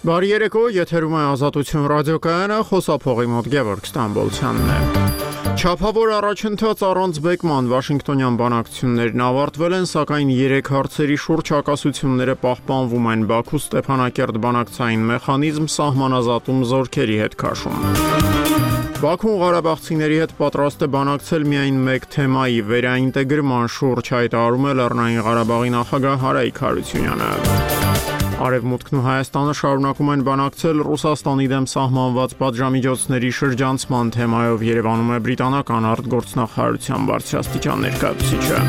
Բարի երեկո, եթերում է Ազատություն ռադիոկայանը, խոսափողի մոտ Գևորգ Ստամբոլցյանն է։ Չափավոր առաջընթաց առանց բեկման Վաշինգտոնյան բանակցություններն ավարտվել են, սակայն 3 հարցերի շուրջ հակասությունները պահպանվում են։ Բաքու Ստեփանակերտ բանակցային մեխանիզմ սահմանազատում զորքերի հետ քաշում։ Բաքուն ղարաբաղցիների հետ պատրաստ է բանակցել միայն մեկ թեմայի վերաինտեգրման շուրջ, հայտարարում է Լեռնային Ղարաբաղի նախագահ Արայիկ Հարությունյանը։ Արևմուտքն ու Հայաստանը շարունակում են բանակցել Ռուսաստանի դեմ սահմանված պատժամիջոցների շրջանցման թեմայով, Երևանում է բրիտանական արտգործնախարարության բարձրաստիճան ներկայացուցիչը։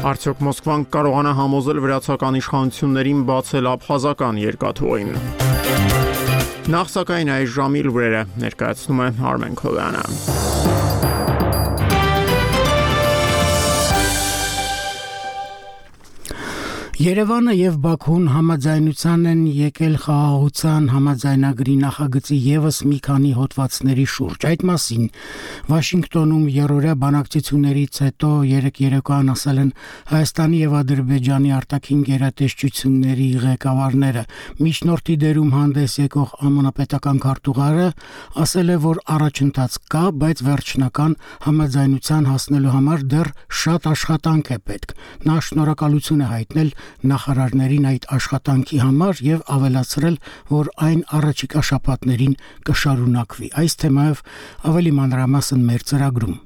Արդյոք Մոսկվան կարողանա համոզել վրացական իշխանություններին բացել աբխազական երկաթուղին։ Նախ սակայն այս ժամի լուրերը ներկայացնում է Արմեն Քովյանը։ Երևանը եւ Բաքուն համաձայնության են եկել խաղաղության համաձայնագրի նախագծի եւս մի քանի հոդվածների շուրջ։ Այդ մասին Վաշինգտոնում երրորդյա բանակցություններից հետո երեկոյան ասել են Հայաստանի եւ Ադրբեջանի արտաքին գերատեսչությունների ղեկավարները։ Միջնորդի դերում հանդես եկող ԱՄՆ պետական քարտուղարը ասել է, որ առաջընթաց կա, բայց վերջնական համաձայնության հասնելու համար դեռ շատ աշխատանք է պետք։ Նա շնորհակալություն է հայտնել նախարարներին այդ աշխատանքի համար եւ ավելացրել, որ այն առաջիկա շաբաթներին կշարունակվի։ Այս թեմայով ավելի մանրամասն մեր ծրագրում։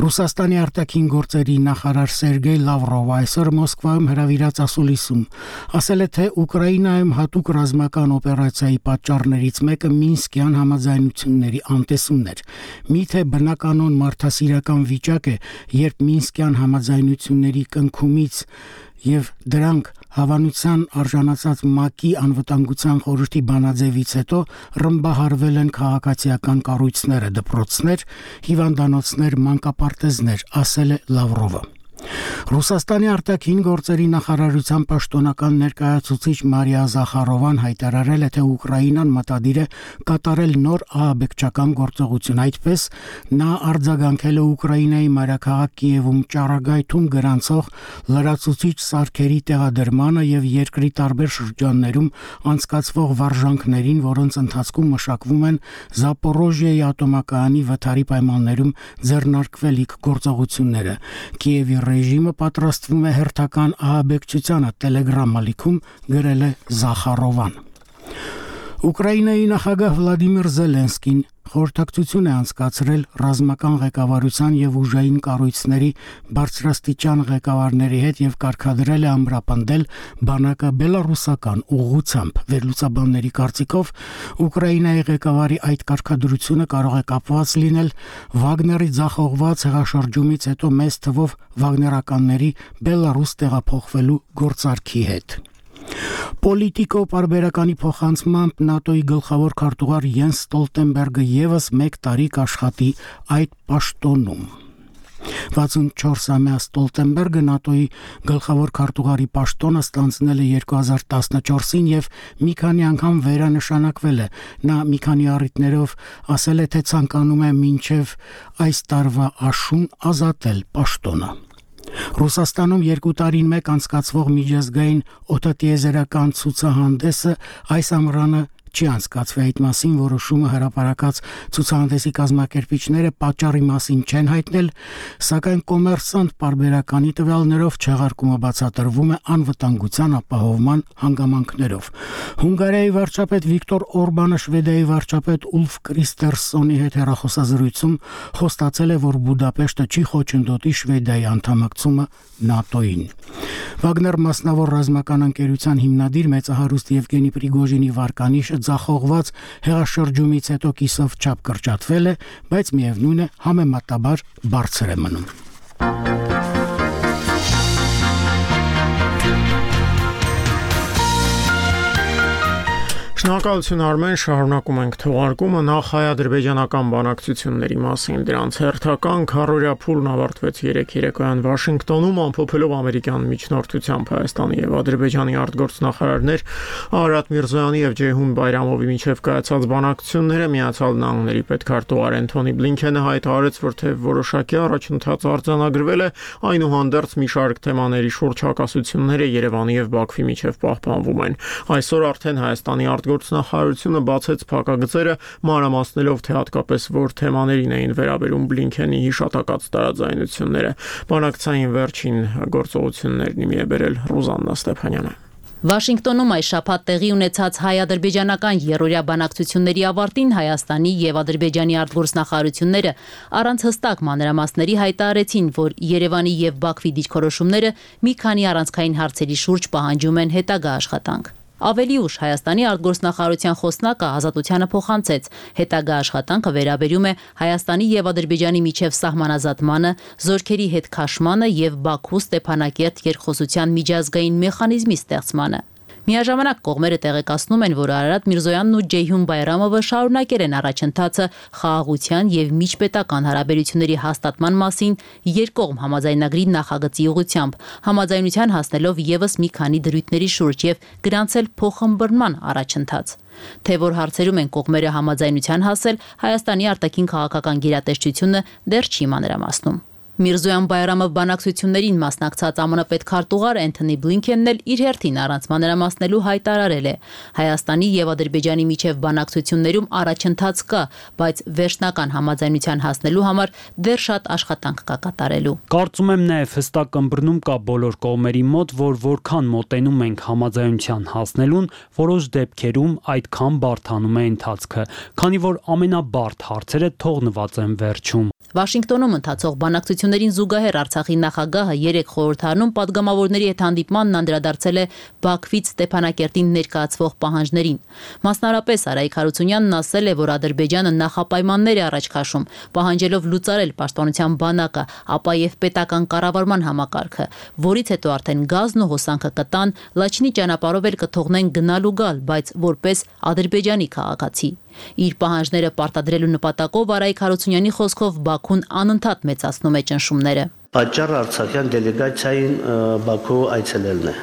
Ռուսաստանի արտաքին գործերի նախարար Սերգեյ Լավրովը այսօր Մոսկվայում հրավիրած ասուլիսում ասել է, թե Ուկրաինայում հատուկ ռազմական օպերացիայի պատճառներից մեկը Մինսկյան համաձայնությունների անտեսումն էր։ Միթե բնականon մարդասիրական վիճակ է, երբ Մինսկյան համաձայնությունների կնքումից եւ դրանք հավանության արժանացած ՄԱԿ-ի անվտանգության խորհրդի բանաձևից հետո ռմբահարվել են քաղաքացիական կառույցները, դպրոցներ, հիվանդանոցներ, մանկապարտեզներ, ասել է Լավրովը։ Ռուսաստանի արտաքին գործերի նախարարության պաշտոնական ներկայացուցիչ Մարիա Զախարովան հայտարարել է, թե Ուկրաինան մտադիր է կատարել նոր ահաբեկչական գործողություն։ Այդպես նա արձագանքել է Ուկրաինայի մայրաքաղաք Կիևում ճառագայթում գրանցող լրացուցիչ սարքերի տեղադրմանը եւ երկրի տարբեր շրջաններում անցկացվող վարժանքներին, որոնց ընթացքում մշակվում են Զապորոժիայի ատոմակայանի վթարի պայմաններում ձեռնարկվելիք գործողությունները։ Կիևի ռեժիմը պատրաստվում է հերթական ահաբեկչությանը, Telegram ալիքում գրել է Զախարովան։ Ուկրաինայի նախագահ Վլադիմիր Զելենսկին խորհրդակցություն է անցկացրել ռազմական ղեկավարության եւ ուժային կառույցների բարձրաստիճան ղեկավարների հետ եւ կարգադրել է ամրապնդել բանակը բելարուսական ուղղությամբ։ Վերլուծաբանների կարծիքով Ուկրաինայի ղեկավարի այդ կարգադրությունը կարող է կապված լինել Վագների ձախողված հեղաշրջումից հետո մեծ թվով վագներականների Բելարուս տեղափոխվելու գործարքի հետ։ Պոլիտիկո պարբերականի փոխանցմամբ ՆԱՏՕ-ի գլխավոր քարտուղար Յենս Ստոլտենբերգը եւս 1 տարի կաշխատի այդ պաշտոնում։ 64-ամյա Ստոլտենբերգը ՆԱՏՕ-ի գլխավոր քարտուղարի պաշտոնը ստանձնել է 2014-ին եւ մի քանի անգամ վերանշանակվել է։ Նա մի քանի առիթներով ասել է, թե ցանկանում է մինչեւ այս տարվա աշուն ազատել պաշտոնը։ Ռուսաստանում 2 տարին մեկ անցկացվող միջազգային օդատիեզերական ցուցահանդեսը այս ամռանը չի անցկացվի։ Այդ մասին որոշումը հրապարակած ցուցահանդեսի կազմակերպիչները պատճառի մասին չեն հայտնել, սակայն կոմերսանտ պարբերականի տվյալներով չեղարկումը բացատրվում է անվտանգության ապահովման հանգամանքներով։ Հունգարիայի վարչապետ Վիկտոր Օրբանը Շվեդիայի վարչապետ Ուլֆ Կրիստերսոնի հետ հեռախոսազրույցում խոստացել է, որ Բուդապեշտը չի խոչընդոտի Շվեդիայի անդամակցումը ՆԱՏՕ-ին։ Վագներ մասնավոր ռազմական ընկերության հիմնադիր մեծահարուստ Եվգենի Պրիգոժինի վարկանիշը ձախողված հեղաշրջումից հետո կիսով չափ կրճատվել է, բայց միևնույն է համեմատաբար բարձր է մնում։ Շնորհակալություն Արմեն, շարունակում ենք թողարկումը նախ հայ-ադրբեջանական բանակցությունների մասին դրանց հերթական քառօրյա փուլն ավարտվեց 3 երեկոյան Վաշինգտոնում ամփոփելով ամերիկյան միջնորդությամբ Հայաստանի եւ Ադրբեջանի արտգործնախարարներ Արարատ Միրզոյանի եւ Ջեյհուն Բայրամովի միջև կայացած բանակցությունները Միացյալ Նահանգների պետքարտուղար Էնթոնի Բլինքենը հայտարարեց, որ թե որոշակի առաջընթաց արձանագրվել է, այնուհանդերձ մի շարք թեմաների շուրջ հակասությունները Երևանի եւ Բաքվի միջև պահպանվում են։ Այսօր արդեն Հայաստանի արտգործնախարարությունը բացեց փակագծերը, մանրամասնելով թե հատկապես որ թեմաներին էին վերաբերում Բլինքենի հիշատակած տարաձայնությունները։ Բանակցային վերջին գործողություններն իմի է բերել Ռուզաննա Ստեփանյանը։ Վաշինգտոնում այս շաբաթ տեղի ունեցած հայ-ադրբեջանական երրորդյա բանակցությունների ավարտին Հայաստանի եւ Ադրբեջանի արտգործնախարարությունները առանց հստակ մանրամասների հայտարարեցին, որ Երևանի եւ Բաքվի դիրքորոշումները մի քանի առանցքային հարցերի շուրջ պահանջում են հետագա աշխատանք։ Ավելի ուշ Հայաստանի արտգործնախարարության խոսնակը Ազատությանը փոխանցեց. հետագա աշխատանքը վերաբերում է Հայաստանի եւ Ադրբեջանի միջև սահմանազատմանը, զորքերի հետ քաշմանը եւ Բաքու-Ստեփանակերտ երկխոսության միջազգային մեխանիզմի ստեղծմանը։ Միաժամանակ կողմերը տեղեկացնում են, որ Արարատ Միրզոյանն ու Ջեյհուն Բայրամովը շարունակել են առաջընթացը խաղաղության եւ միջպետական հարաբերությունների հաստատման մասին երկկողմ համաձայնագրի նախագծի ուղղությամբ, համաձայնության հասնելով եւս մի քանի դրույթների շուրջ եւ գրանցել փոխըմբռնման առաջընթաց։ Թե որ հարցերում են կողմերը համաձայնության հասել, Հայաստանի արտաքին քաղաքական գերատեսչությունը դեռ չի մանրամասնում։ Միրզոյան Բայրամով բանակցություններին մասնակցած ԱՄՆ պետքարտուղար Էնթոնի Բլինքենն էլ իր հերթին առանց մանրամասնելու հայտարարել է. Հայաստանի եւ Ադրբեջանի միջև բանակցություններում առաջընթաց կա, բայց վերջնական համաձայնության հասնելու համար դեռ շատ աշխատանք կա կատարելու։ Կարծում եմ նաեւ հստակ ըմբռնում կա բոլոր կողմերի մոտ, որ որքան մոտենում ենք համաձայնության հասնելուն, որոշ դեպքերում այդքան բարդանում է ընթացքը, քանի որ ամենաբարդ հարցերը թողնված են վերջում։ Վաշինգտոնում ընթացող բանակցություններին զուգահեռ Արցախի նախագահը 3 խորհրդարանում պատգամավորների հետ հանդիպմանն անդրադարձել է Բաքվից Ստեփանակերտին ներկայացվող պահանջներին։ Մասնարարպես Արայիկ Հարությունյանն ասել է, որ Ադրբեջանը նախապայմաններ է առաջ քաշում, պահանջելով լուծարել պաշտպանության բանակը, ապա եւ պետական կառավարման համակարգը, որից հետո արդեն գազն ու հոսանքը կտան, Լաչինի ճանապարհով էլ կթողնեն գնալ ու գալ, բայց որպես Ադրբեջանի քաղաքացի։ Իր պահանջները պարտադրելու նպատակով Արայիկ Հարությունյանի խոսքով Բաքուն անընդհատ մեծացնում է ճնշումները։ Պատճառը արցախյան դելեգացիային Բաքու այցելելն է։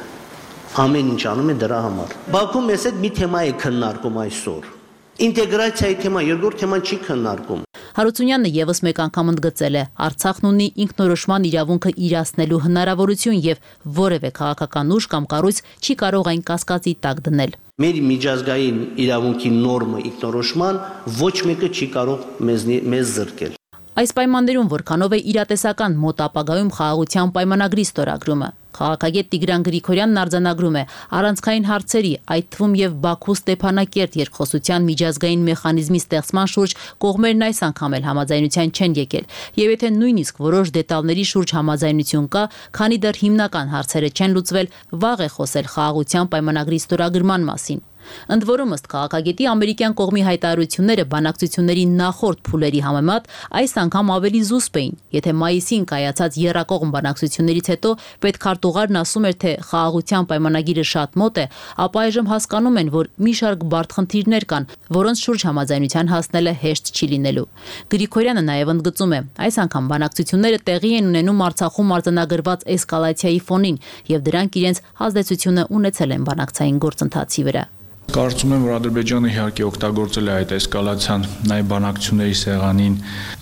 Ամեն ինչ անում է դրա համար։ Բաքու մեզ հետ մի թեմա է քննարկում այսօր։ Ինտեգրացիայի թեմա, երկրորդ թեման չի քննարկում։ Հարությունյանը եւս մեկ անգամ ընդգծել է. Արցախն ունի ինքնորոշման իրավունքը իրացնելու հնարավորություն եւ որևէ քաղաքական ուժ կամ կառույց չի կարող այն կասկածի տակ դնել։ Մեր միջազգային իրավունքի նորմը ինքնորոշման ոչ մեկը չի կարող մեզ զրկել։ Այս պայմաններում որքանով է իրատեսական մոտ ապագայում խաղաղության պայմանագրի ստորագրումը։ Քաղաքագետ Տիգրան Գրիգորյանն արձանագրում է առանցքային հարցերի, այդ թվում եւ Բաքու-Ստեփանակերտ երկխոսության միջազգային մեխանիզմի ստեղծման շուրջ կողմերն այս անգամ էլ համաձայնության չեն եկել, եւ եթե նույնիսկ որոշ դետալների շուրջ համաձայնություն կա, քանի դեռ հիմնական հարցերը չեն լուծվել, վաղ է խոսել խաղաղության պայմանագրի ստորագրման մասին։ Ընդ որում ըստ քաղաքագետի ամերիկյան կողմի հայտարարությունները բանակցությունների նախորդ փուլերի համեմատ այս անգամ ավելի զուսպ էին։ Եթե մայիսին կայացած եռակողմ բանակցություններից հետո պետքարտուղարն ասում էր, թե խաղաղության պայմանագիրը շատ մոտ է, ապա այժմ հասկանում են, որ մի շարք բարդ խնդիրներ կան, որոնց շուրջ համաձայնության հասնելը հեշտ չի լինելու։ Գրիգորյանը նաև ընդգծում է, այս անգամ բանակցությունները տեղի են ունենում Արցախում արձանագրված էսկալացիայի ֆոնին, եւ դրանք իրենց ազդեցությունը ունեցել են բանակցային գործընթացի վրա։ Կարծում եմ, որ Ադրբեջանը իհարկե օգտագործել է այդ էսկալացիան նաև բանակցությունների սեղանին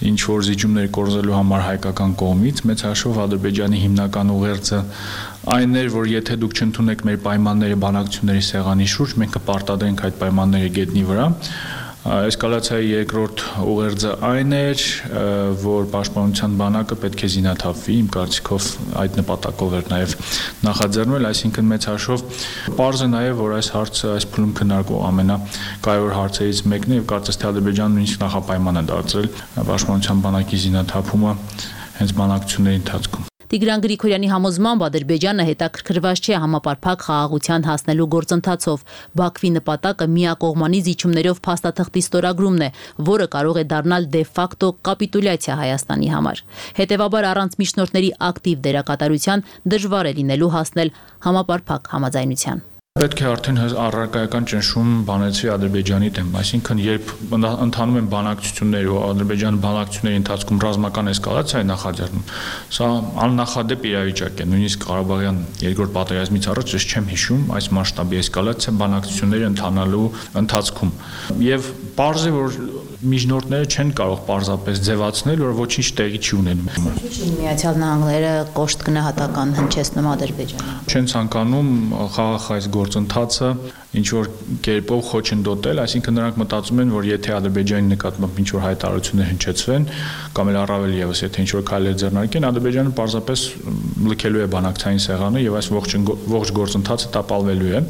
ինչ որ զիջումներ կորզելու համար հայկական կողմից, մեծ հաշվով Ադրբեջանի հիմնական ուղերձը այն էր, որ եթե դուք չընդունեք մեր պայմանները բանակցությունների սեղանի շուրջ, մենք կպարտադրենք այդ պայմանները գետնի վրա։ Էսկալացիայի երկրորդ ուղերձը այն էր, որ պաշտպանության բանակը պետք է զինաթափվի, իմ կարծիքով այդ նպատակով էր նաև նախաձեռնվել, այսինքն մեծ հաշվով պարզ է նաև, որ այս հարցը այս փուլում քննարկող ամենակարևոր հարցերից մեկն է եւ կարծես թե Ադրբեջանը նույնիսկ նախապայման է դարձրել պաշտպանության բանակի զինաթափումը հենց բանակցությունների ընթացքում։ Տիգրան Գրիգորյանի համոզմամբ Ադրբեջանը հետաքրքրված չէ համապարփակ խաղաղության հասնելու գործընթացով։ Բաքվի նպատակը միակողմանի զիջումներով փաստաթղթի ստորագրումն է, որը կարող է դառնալ դե ֆակտո կապիտուլյացիա Հայաստանի համար։ Հետևաբար առանց միջնորդների ակտիվ դերակատարության դժվար է լինելու հասնել համապարփակ համաձայնության։ Պետք է արդեն առարկայական ճնշում բանեցվի Ադրբեջանի դեմ, այսինքն երբ ընթանում են բանակցություններ ու Ադրբեջանը բանակցությունների ընթացքում ռազմական էսկալացիա է նախաձեռնում, սա աննախադեպ իրավիճակ է, նույնիսկ Ղարաբաղյան երկրորդ պատերազմից առաջ ես չեմ հիշում այս մասշտաբի էսկալացիա բանակցությունների ընթանալու ընթացքում։ Եվ պարզ է, որ միջնորդները չեն կարող պարզապես ձևացնել, որ ոչինչ տեղի չի ունենում։ Միացյալ Նահանգները կոշտ գնահատական հնչեցնում Ադրբեջանին։ Չեն ցանկանում խաղաղ այս գործընթացը ինչ որ կերպով խոչընդոտել, այսինքն նրանք մտածում են, որ եթե Ադրբեջանի նկատմամբ ինչ որ հայտարարություններ հնչեցվեն, կամ էլ առավել եւս եթե ինչ որ քայլեր ձեռնարկեն, Ադրբեջանը պարզապես լքելու է բանակցային սեղանը եւ այս ողջ գործընթացը տապալվելու է։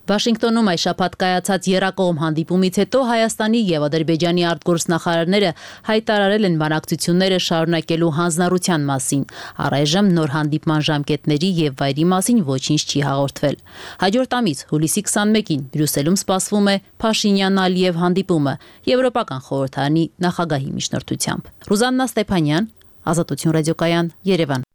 Վաշինգտոնում այս շաբաթ կայացած եռակողմ հանդիպումից հետո Հայաստանի եւ Ադրբեջանի արտգործնախարարները հայտարարել են բանակցությունները շարունակելու հանձնառության մասին։ Առայժմ նոր հանդիպման ժամկետների եւ վայրի մասին ոչինչ չի հաղորդվել։ Հաջորդ ամիս հուլիսի 21-ին Բրյուսելում սպասվում է Փաշինյան-Ալիև հանդիպումը Եվրոպական խորհրդարանի նախագահի միջնորդությամբ։ Ռուզաննա Ստեփանյան, Ազատություն ռադիոկայան, Երևան։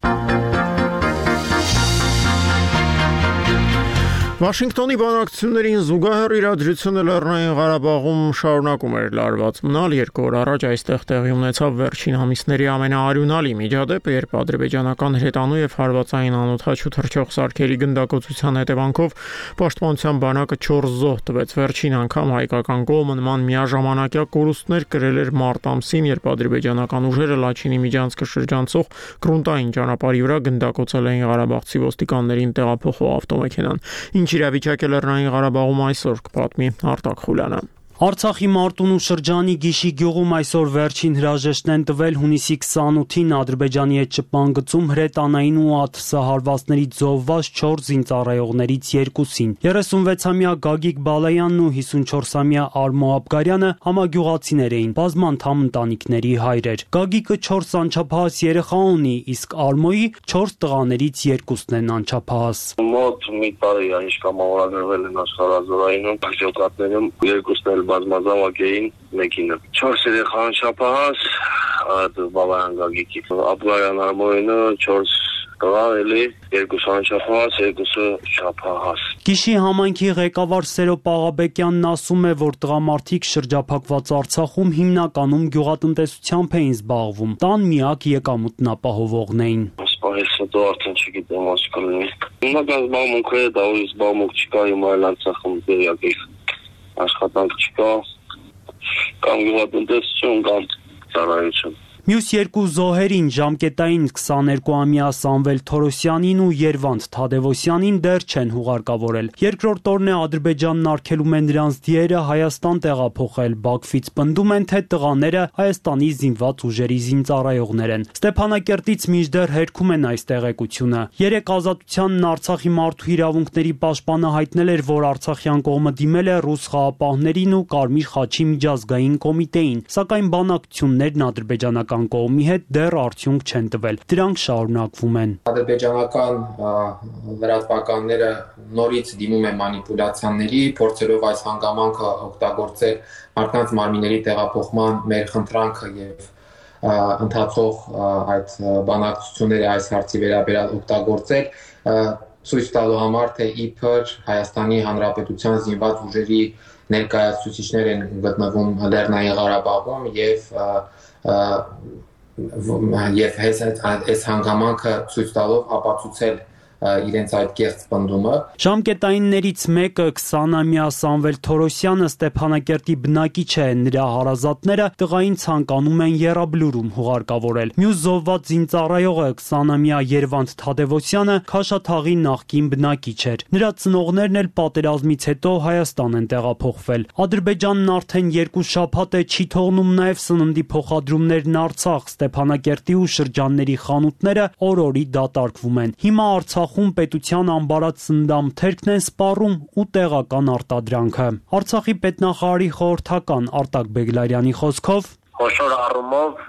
Վաշինգտոնի բանակցություններին զուգահեռ իրադրությունը Լեռնային Ղարաբաղում շարունակում էր լարված մնալ 2 օր առաջ այստեղ տեղի ունեցավ վերջին ամիսների ամենաարյունալի միջադեպը, երբ ադրբեջանական հրետանու եւ հարվածային անօդաչու թռչող սարքերի գնդակոծության հետևանքով պաշտպանության բանակը 4 զոհ տվեց։ Վերջին անգամ հայկական կողմը նման միաժամանակյա կորուստներ կրել էր մարտ ամսին, երբ ադրբեջանական ուժերը Լաչինի միջանցքը շրջանցող գրունտային ճանապարհի վրա գնդակոծել էին ղարաբաղցի ոստիկաններին տեղափոխող ավտոմեքենան։ Ինչ իրավիճակ է Լեռնային Ղարաբաղում այսօր, կպատմի Արտակ Խուլյանը։ Արցախի Մարտունու շրջանի Գիշի գյուղում այսօր վերջին հրաժեշտն են տվել հունիսի 28-ին Ադրբեջանի հետ շփման գծում հրետանային ու ԱԹՍ հարվածներից զոհված 4 զինծառայողներից 2-ին։ 36-ամյա Գագիկ Բալայանն ու 54-ամյա Արմո Աբգարյանը համագյուղացիներ էին, բազմանդամ ընտանիքների հայրեր։ Գագիկը 4 անչափահաս երեխա ունի, իսկ Արմոյի 4 տղաներից 2-ն են անչափահաս։ Մոտ մի տարի է ինչ կամավորագրվել են աշխարհազորայինում, ջոկատներում 2-ն էլ բազմազավակ էին, մեկինը 4 երեխա անչափահաս, Բալայան Գագիկի, Աբգարյան Արմոյինը 4 տղա, էլի 2 անչափահաս, 2 չափահաս։ Գիշի համայնքի ղեկավար Սերո Պաղաբեկյանն ասում է, որ տղամարդիկ շրջափակված Արցախում հիմնականում գյուղատնտեսությամբ էին զբաղվում, տան միակ եկամուտն ապահովողն էին։ Սպահես հետո արդեն չգիտեմ ինչ կլինի։ Հիմնական զբաղմունքը դա ու զբաղմունք չկա, հիմա էլ Արցախում դերյակի աշխատանք չկա, կամ գյուղատնտեսություն, կամ ծառայություն։ Մյուս 2 զոհերին ժամկետային 22-ամյա Սամվել Թորոսյանին ու Երվանդ Թադևոսյանին դեռ չեն հուղարկավորել։ Երկրորդ օրն է Ադրբեջանն արգելում է նրանց դիերը Հայաստան տեղափոխել։ Բաքվից պնդում են, թե տղաները Հայաստանի զինված ուժերի զինծառայողներ են։ Ստեփանակերտից մինչդեռ հերքում են այս տեղեկությունը։ Երեք Ազատությանն Արցախի մարդու իրավունքների պաշտպանը հայտնել էր, որ արցախյան կողմը դիմել է ռուս խաղապահներին ու Կարմիր խաչի միջազգային կոմիտեին, սակայն բանակցություններն ադրբեջանական կողմի հետ դեռ արդյունք չեն տվել։ Դրանք շարունակվում են։ Ադրբեջանական լրատվականները նորից դիմում են մանիպուլյացիաների, փորձելով այս հանգամանքը օգտագործել մարդկանց մարմինների տեղափոխման մեր խնդրանքը եւ ընթացող այդ բանակցությունները այս հարցի վերաբերյալ օգտագործել, ցույց տալու համար, թե իբր Հայաստանի Հանրապետության զինված ուժերի ներկայացուցիչներ են գտնվում Լեռնային Ղարաբաղում եւ այս հանգամանքը ցույց տալով ապացուցել իրենց այդ կեղծ պնդումը։ Ժամկետայիններից մեկը 20-ամյա Սամվել Թորոսյանը Ստեփանակերտի բնակիչ է, նրա հարազատները տղային ցանկանում են եռաբլուրում հուղարկավորել։ Մյուս զոհված զինծառայողը 20-ամյա Երվանդ Թադևոսյանը Քաշաթաղի նախկին բնակիչ էր։ Նրա ծնողներն էլ պատերազմից հետո Հայաստան են տեղափոխվել։ Ադրբեջանն արդեն 2 շաբաթ է չի թողնում նաև սննդի փոխադրումներն Արցախ, Ստեփանակերտի ու շրջանների խանութները օր-օրի դատարկվում են։ Հիմա Արցախում պետության ամբարած սննդամթերքն են սպառում ու տեղական արտադրանքը։ Արցախի պետնախարարի խորհրդական Արտակ Բեգլարյանի խոսքով Խոշոր առումով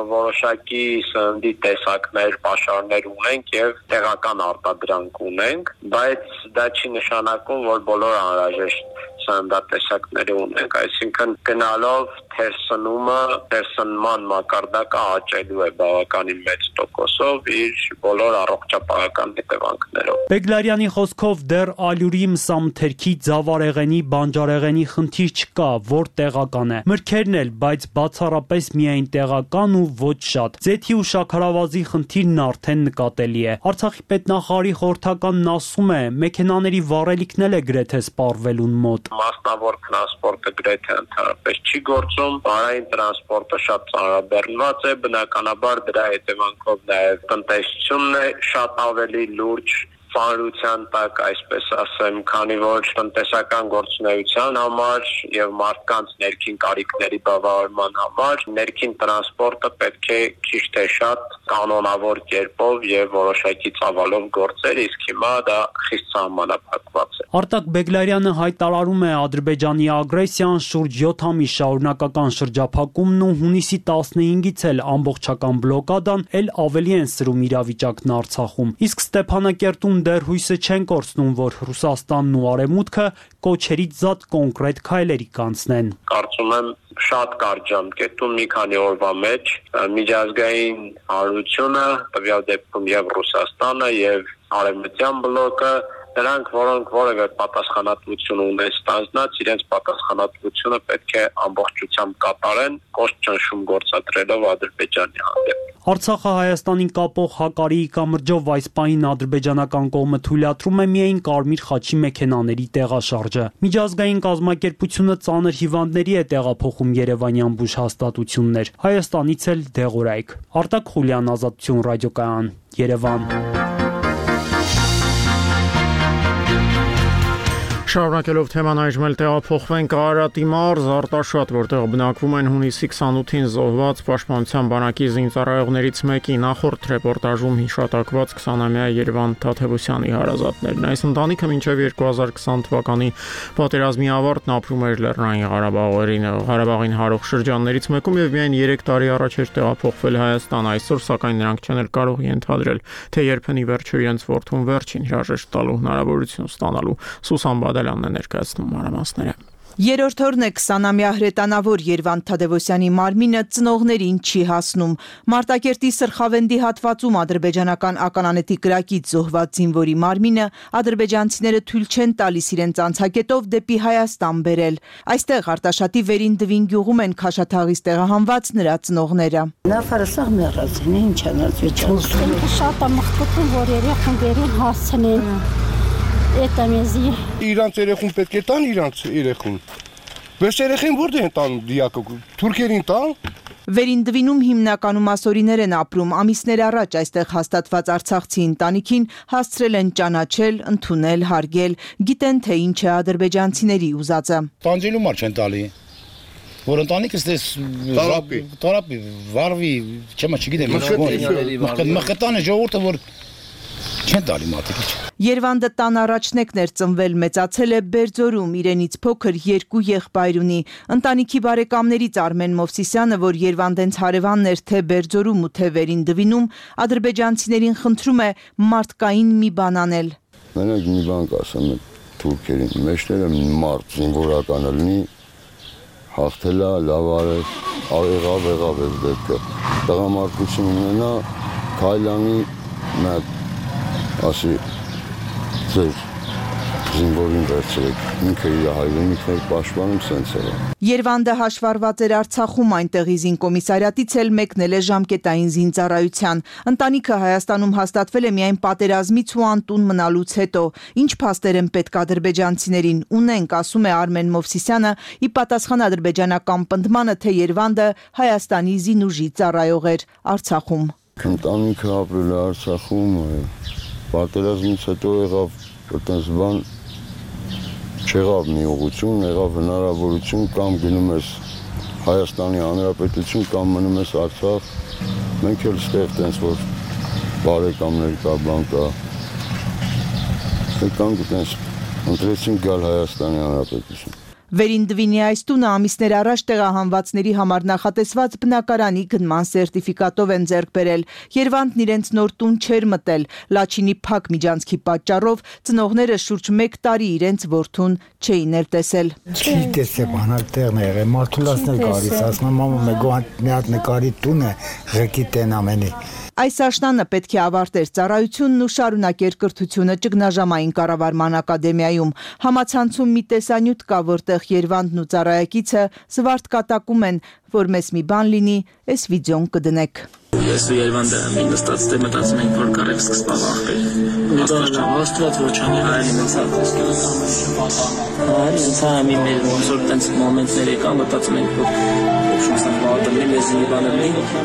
որոշակի սննդի տեսակներ, պաշարներ ունենք եւ տեղական արտադրանք ունենք, բայց դա չի նշանակում, որ բոլոր անհրաժեշտ սննդատեսակների ունենք, այսինքն գնալով թերսնման մակարդակը աճելու է բավականին մեծ տոկոսով իր բոլոր առողջապահական հետևանքներով։ Բեգլարյանի խոսքով դեռ ալյուրի, մսամթերքի, ձավարեղենի, բանջարեղենի խնդիր չկա, որ տեղական է։ Մրգերն էլ, բայց բացառապես միայն տեղական ու ոչ շատ։ Ձեթի ու շաքարավազի խնդիրն արդեն նկատելի է։ Արցախի պետնախարարի խորհրդականն ասում է, մեքենաների վառելիքն էլ է գրեթե սպառվելուն մոտ։ Մասնավոր տրանսպորտը գրեթե ընդհանրապես չի գործում, բարային տրանսպորտը շատ ծանրաբեռնված է, բնականաբար դրա հետևանքով նաև տնտեսությունն է շատ ավելի լուրջ ծանրության տակ, այսպես ասեմ, քանի որ տնտեսական գործունեության համար եւ մարդկանց ներքին կարիքների բավարարման համար ներքին տրանսպորտը պետք է քիչ թե շատ կանոնավոր կերպով եւ որոշակի ծավալով գործեր, իսկ հիմա դա խիստ սահմանափակված է։ Արտակ Բեգլարյանը հայտարարում է Ադրբեջանի ագրեսիան շուրջ 7 ամիս շարունակական շրջափակումն ու հունիսի 15-ից էլ ամբողջական բլոկադան էլ ավելի են սրում իրավիճակն Արցախում։ Իսկ Ստեփանակերտում դեռ հույսը չեն կորցնում, որ Ռուսաստանն ու Արևմուտքը կոչերից զատ կոնկրետ քայլերի կանցնեն։ Կարծում եմ շատ կարճ ժամկետում մի քանի օրվա մեջ միջազգային հանրությունը, տվյալ դեպքում եւ Ռուսաստանը եւ Արևմտյան բլոկը, նրանք, որոնք որևէ պատասխանատվություն ունեն ստանձնած, իրենց պատասխանատվությունը պետք է ամբողջությամբ կատարեն, կոշտ ճնշում գործադրելով Ադրբեջանի հանդեպ։ Արցախը Հայաստանին կապող Հակարիի կամրջով այս պահին ադրբեջանական կողմը թույլատրում է միայն Կարմիր խաչի մեքենաների տեղաշարժը։ Միջազգային կազմակերպությունը ծանր հիվանդների է տեղափոխում երևանյան բուժհաստատություններ։ Հայաստանից էլ դեղորայք։ Արտակ Խուլյան, Ազատություն ռադիոկայան, Երևան։ Շարունակելով թեման այժմ էլ տեղափոխվենք Արարատի մարզ, Արտաշատ, որտեղ բնակվում են հունիսի 28-ին զոհված Պաշտպանության բանակի զինծառայողներից մեկի նախորդ ռեպորտաժում հիշատակված 20-ամյա Երևան Թադևոսյանի հարազատներն։ Այս ընտանիքը մինչև 2020 թվականի պատերազմի ավարտն ապրում էր Լեռնային Ղարաբաղին հարող շրջաններից մեկում եւ միայն 3 տարի առաջ էր տեղափոխվել Հայաստան։ Այսօր սակայն նրանք չեն էլ կարող ենթադրել, թե երբն ի վերջո իրենց որդուն վերջին հրաժեշտ տալու հնարավորություն ստանալու։ Սուսան Բադալյանն է ներկայացնում մանրամասները։ Երրորդ օրն է 20-ամյա հրետանավոր Երվանդ Թադևոսյանի մարմինը ծնողներին չի հասնում։ Մարտակերտի Սրխավենդի հատվածում ադրբեջանական ականանետի կրակից զոհված զինվորի մարմինը ադրբեջանցիները թույլ չեն տալիս իրենց անցակետով դեպի Հայաստան բերել։ Այստեղ Արտաշատի Վերին Դվին գյուղում են Քաշաթաղից տեղահանված նրա ծնողները։ Նավարսաղ մեռածին ինչ անած վիճակում։ Շատ ամխտում որ երեխան վերին հասցնեն։ Իրանց երեխուն պետք է տան իրանց երեխուն։ Բայց երեխին որտե են տանում դիակը, թուրքերին տան։ Վերին Դվինում հիմնականում ասորիներ են ապրում, ամիսներ առաջ այստեղ հաստատված արցախցի ընտանիքին հասցրել են ճանաչել, ընդունել, հարգել, գիտեն թե ինչ է ադրբեջանցիների ուզածը։ Տանջելու մար չեն տալի։ Որ ընտանիքս դες տարապի, վարվի, չգիտեմ, մխտանը ժողովուրդը որ չեն տալի մատիկի։ Երվանդը տան առաջնեկն էր ծնվել, մեծացել է Բերձորում, իրենից փոքր 2 եղբայր ունի։ Ընտանիքի բարեկամներից Արմեն Մովսիսյանը, որ Երվանդենց հարևանն էր թե Բերձորում ու թե Վերին Դվինում, ադրբեջանցիներին խնդրում է մարդկային մի բան անել։ Մենակ մի բան կասեմ թուրքերին, մեջները մարդ զինվորականը լինի, հաղթելա, լավ արել, եղավ այս դեպքը։ Տղամարդություն ունենա, քայլանի մեկ ասի ձեր զինվորին վերցրեք, ինքը իր հայրենիքն էր պաշտպանում, սենց էր։ Երվանդը հաշվառված էր Արցախում, այնտեղի զինկոմիսարիատից էլ մեկնել է ժամկետային զինծառայության։ Ընտանիքը Հայաստանում հաստատվել է միայն պատերազմից ու անտուն մնալուց հետո։ Ինչ փաստեր են պետք ադրբեջանցիներին ունենք, ասում է Արմեն Մովսիսյանը, ի պատասխան ադրբեջանական պնդմանը, թե Երվանդը Հայաստանի զինուժի ծառայող էր Արցախում։ Ընտանիքը ապրել է Արցախում, պատերազմից հետո եղավ այդպես բան չեղավ մի ուղղություն, եղավ հնարավորություն կամ գնում ես Հայաստանի Հանրապետություն կամ մնում ես Արցախ, մենք էլ ստեղ տենց որ բարեկամներ կա, բան կա, եկանք տենց ընտրեցինք գալ Հայաստանի Հանրապետություն։ Վերին Դվինի այս տունը ամիսներ առաջ տեղահանվածների համար նախատեսված բնակարանի գնման սերտիֆիկատով են ձեռք բերել։ Երևանն իրենց նոր տուն չէր մտել։ Լաչինի փակ միջանցքի պատճառով ծնողները շուրջ 1 տարի իրենց որդուն չէին էլ տեսել։ Չի տեսել բանալ տեղն է եղել, մարդուլասներ գալիս, ասում եմ մամա մի հատ նկարի տուն է, ղեկի տեն ամենի։ Այս աշնանը պետք է ավարտեր ծառայությունն ու շարունակեր կրթությունը ճգնաժամային կառավարման ակադեմիայում։ Համացանցում մի տեսանյութ կա, որտեղ Երևանն ու ծառայակիցը զվարթ կատակում են, որ մեզ մի բան լինի, այս վիդեոն կդնեք։ Ես ու Երևանը մի նստած դե մտածում ենք, որ կարեք սկսպավ աղբեր։ Աստված ոչանի հայրի մեծ հայրի ինձ հայմի մեր ոնց որ տենց մոմենտներ եկան, մտածում ենք, որ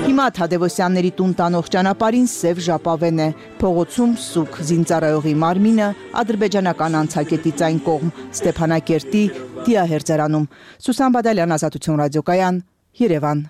Հիմա Թադևոսյանների տուն տանող ճանապարհին սև ժապավեն է, փողոցում սուկ զինծառայողի մարմինը ադրբեջանական անցակետից այն կողմ Ստեփանակերտի դիահերձարանում։ Սուսան Բադալյան, Ազատություն ռադիոկայան, Երևան։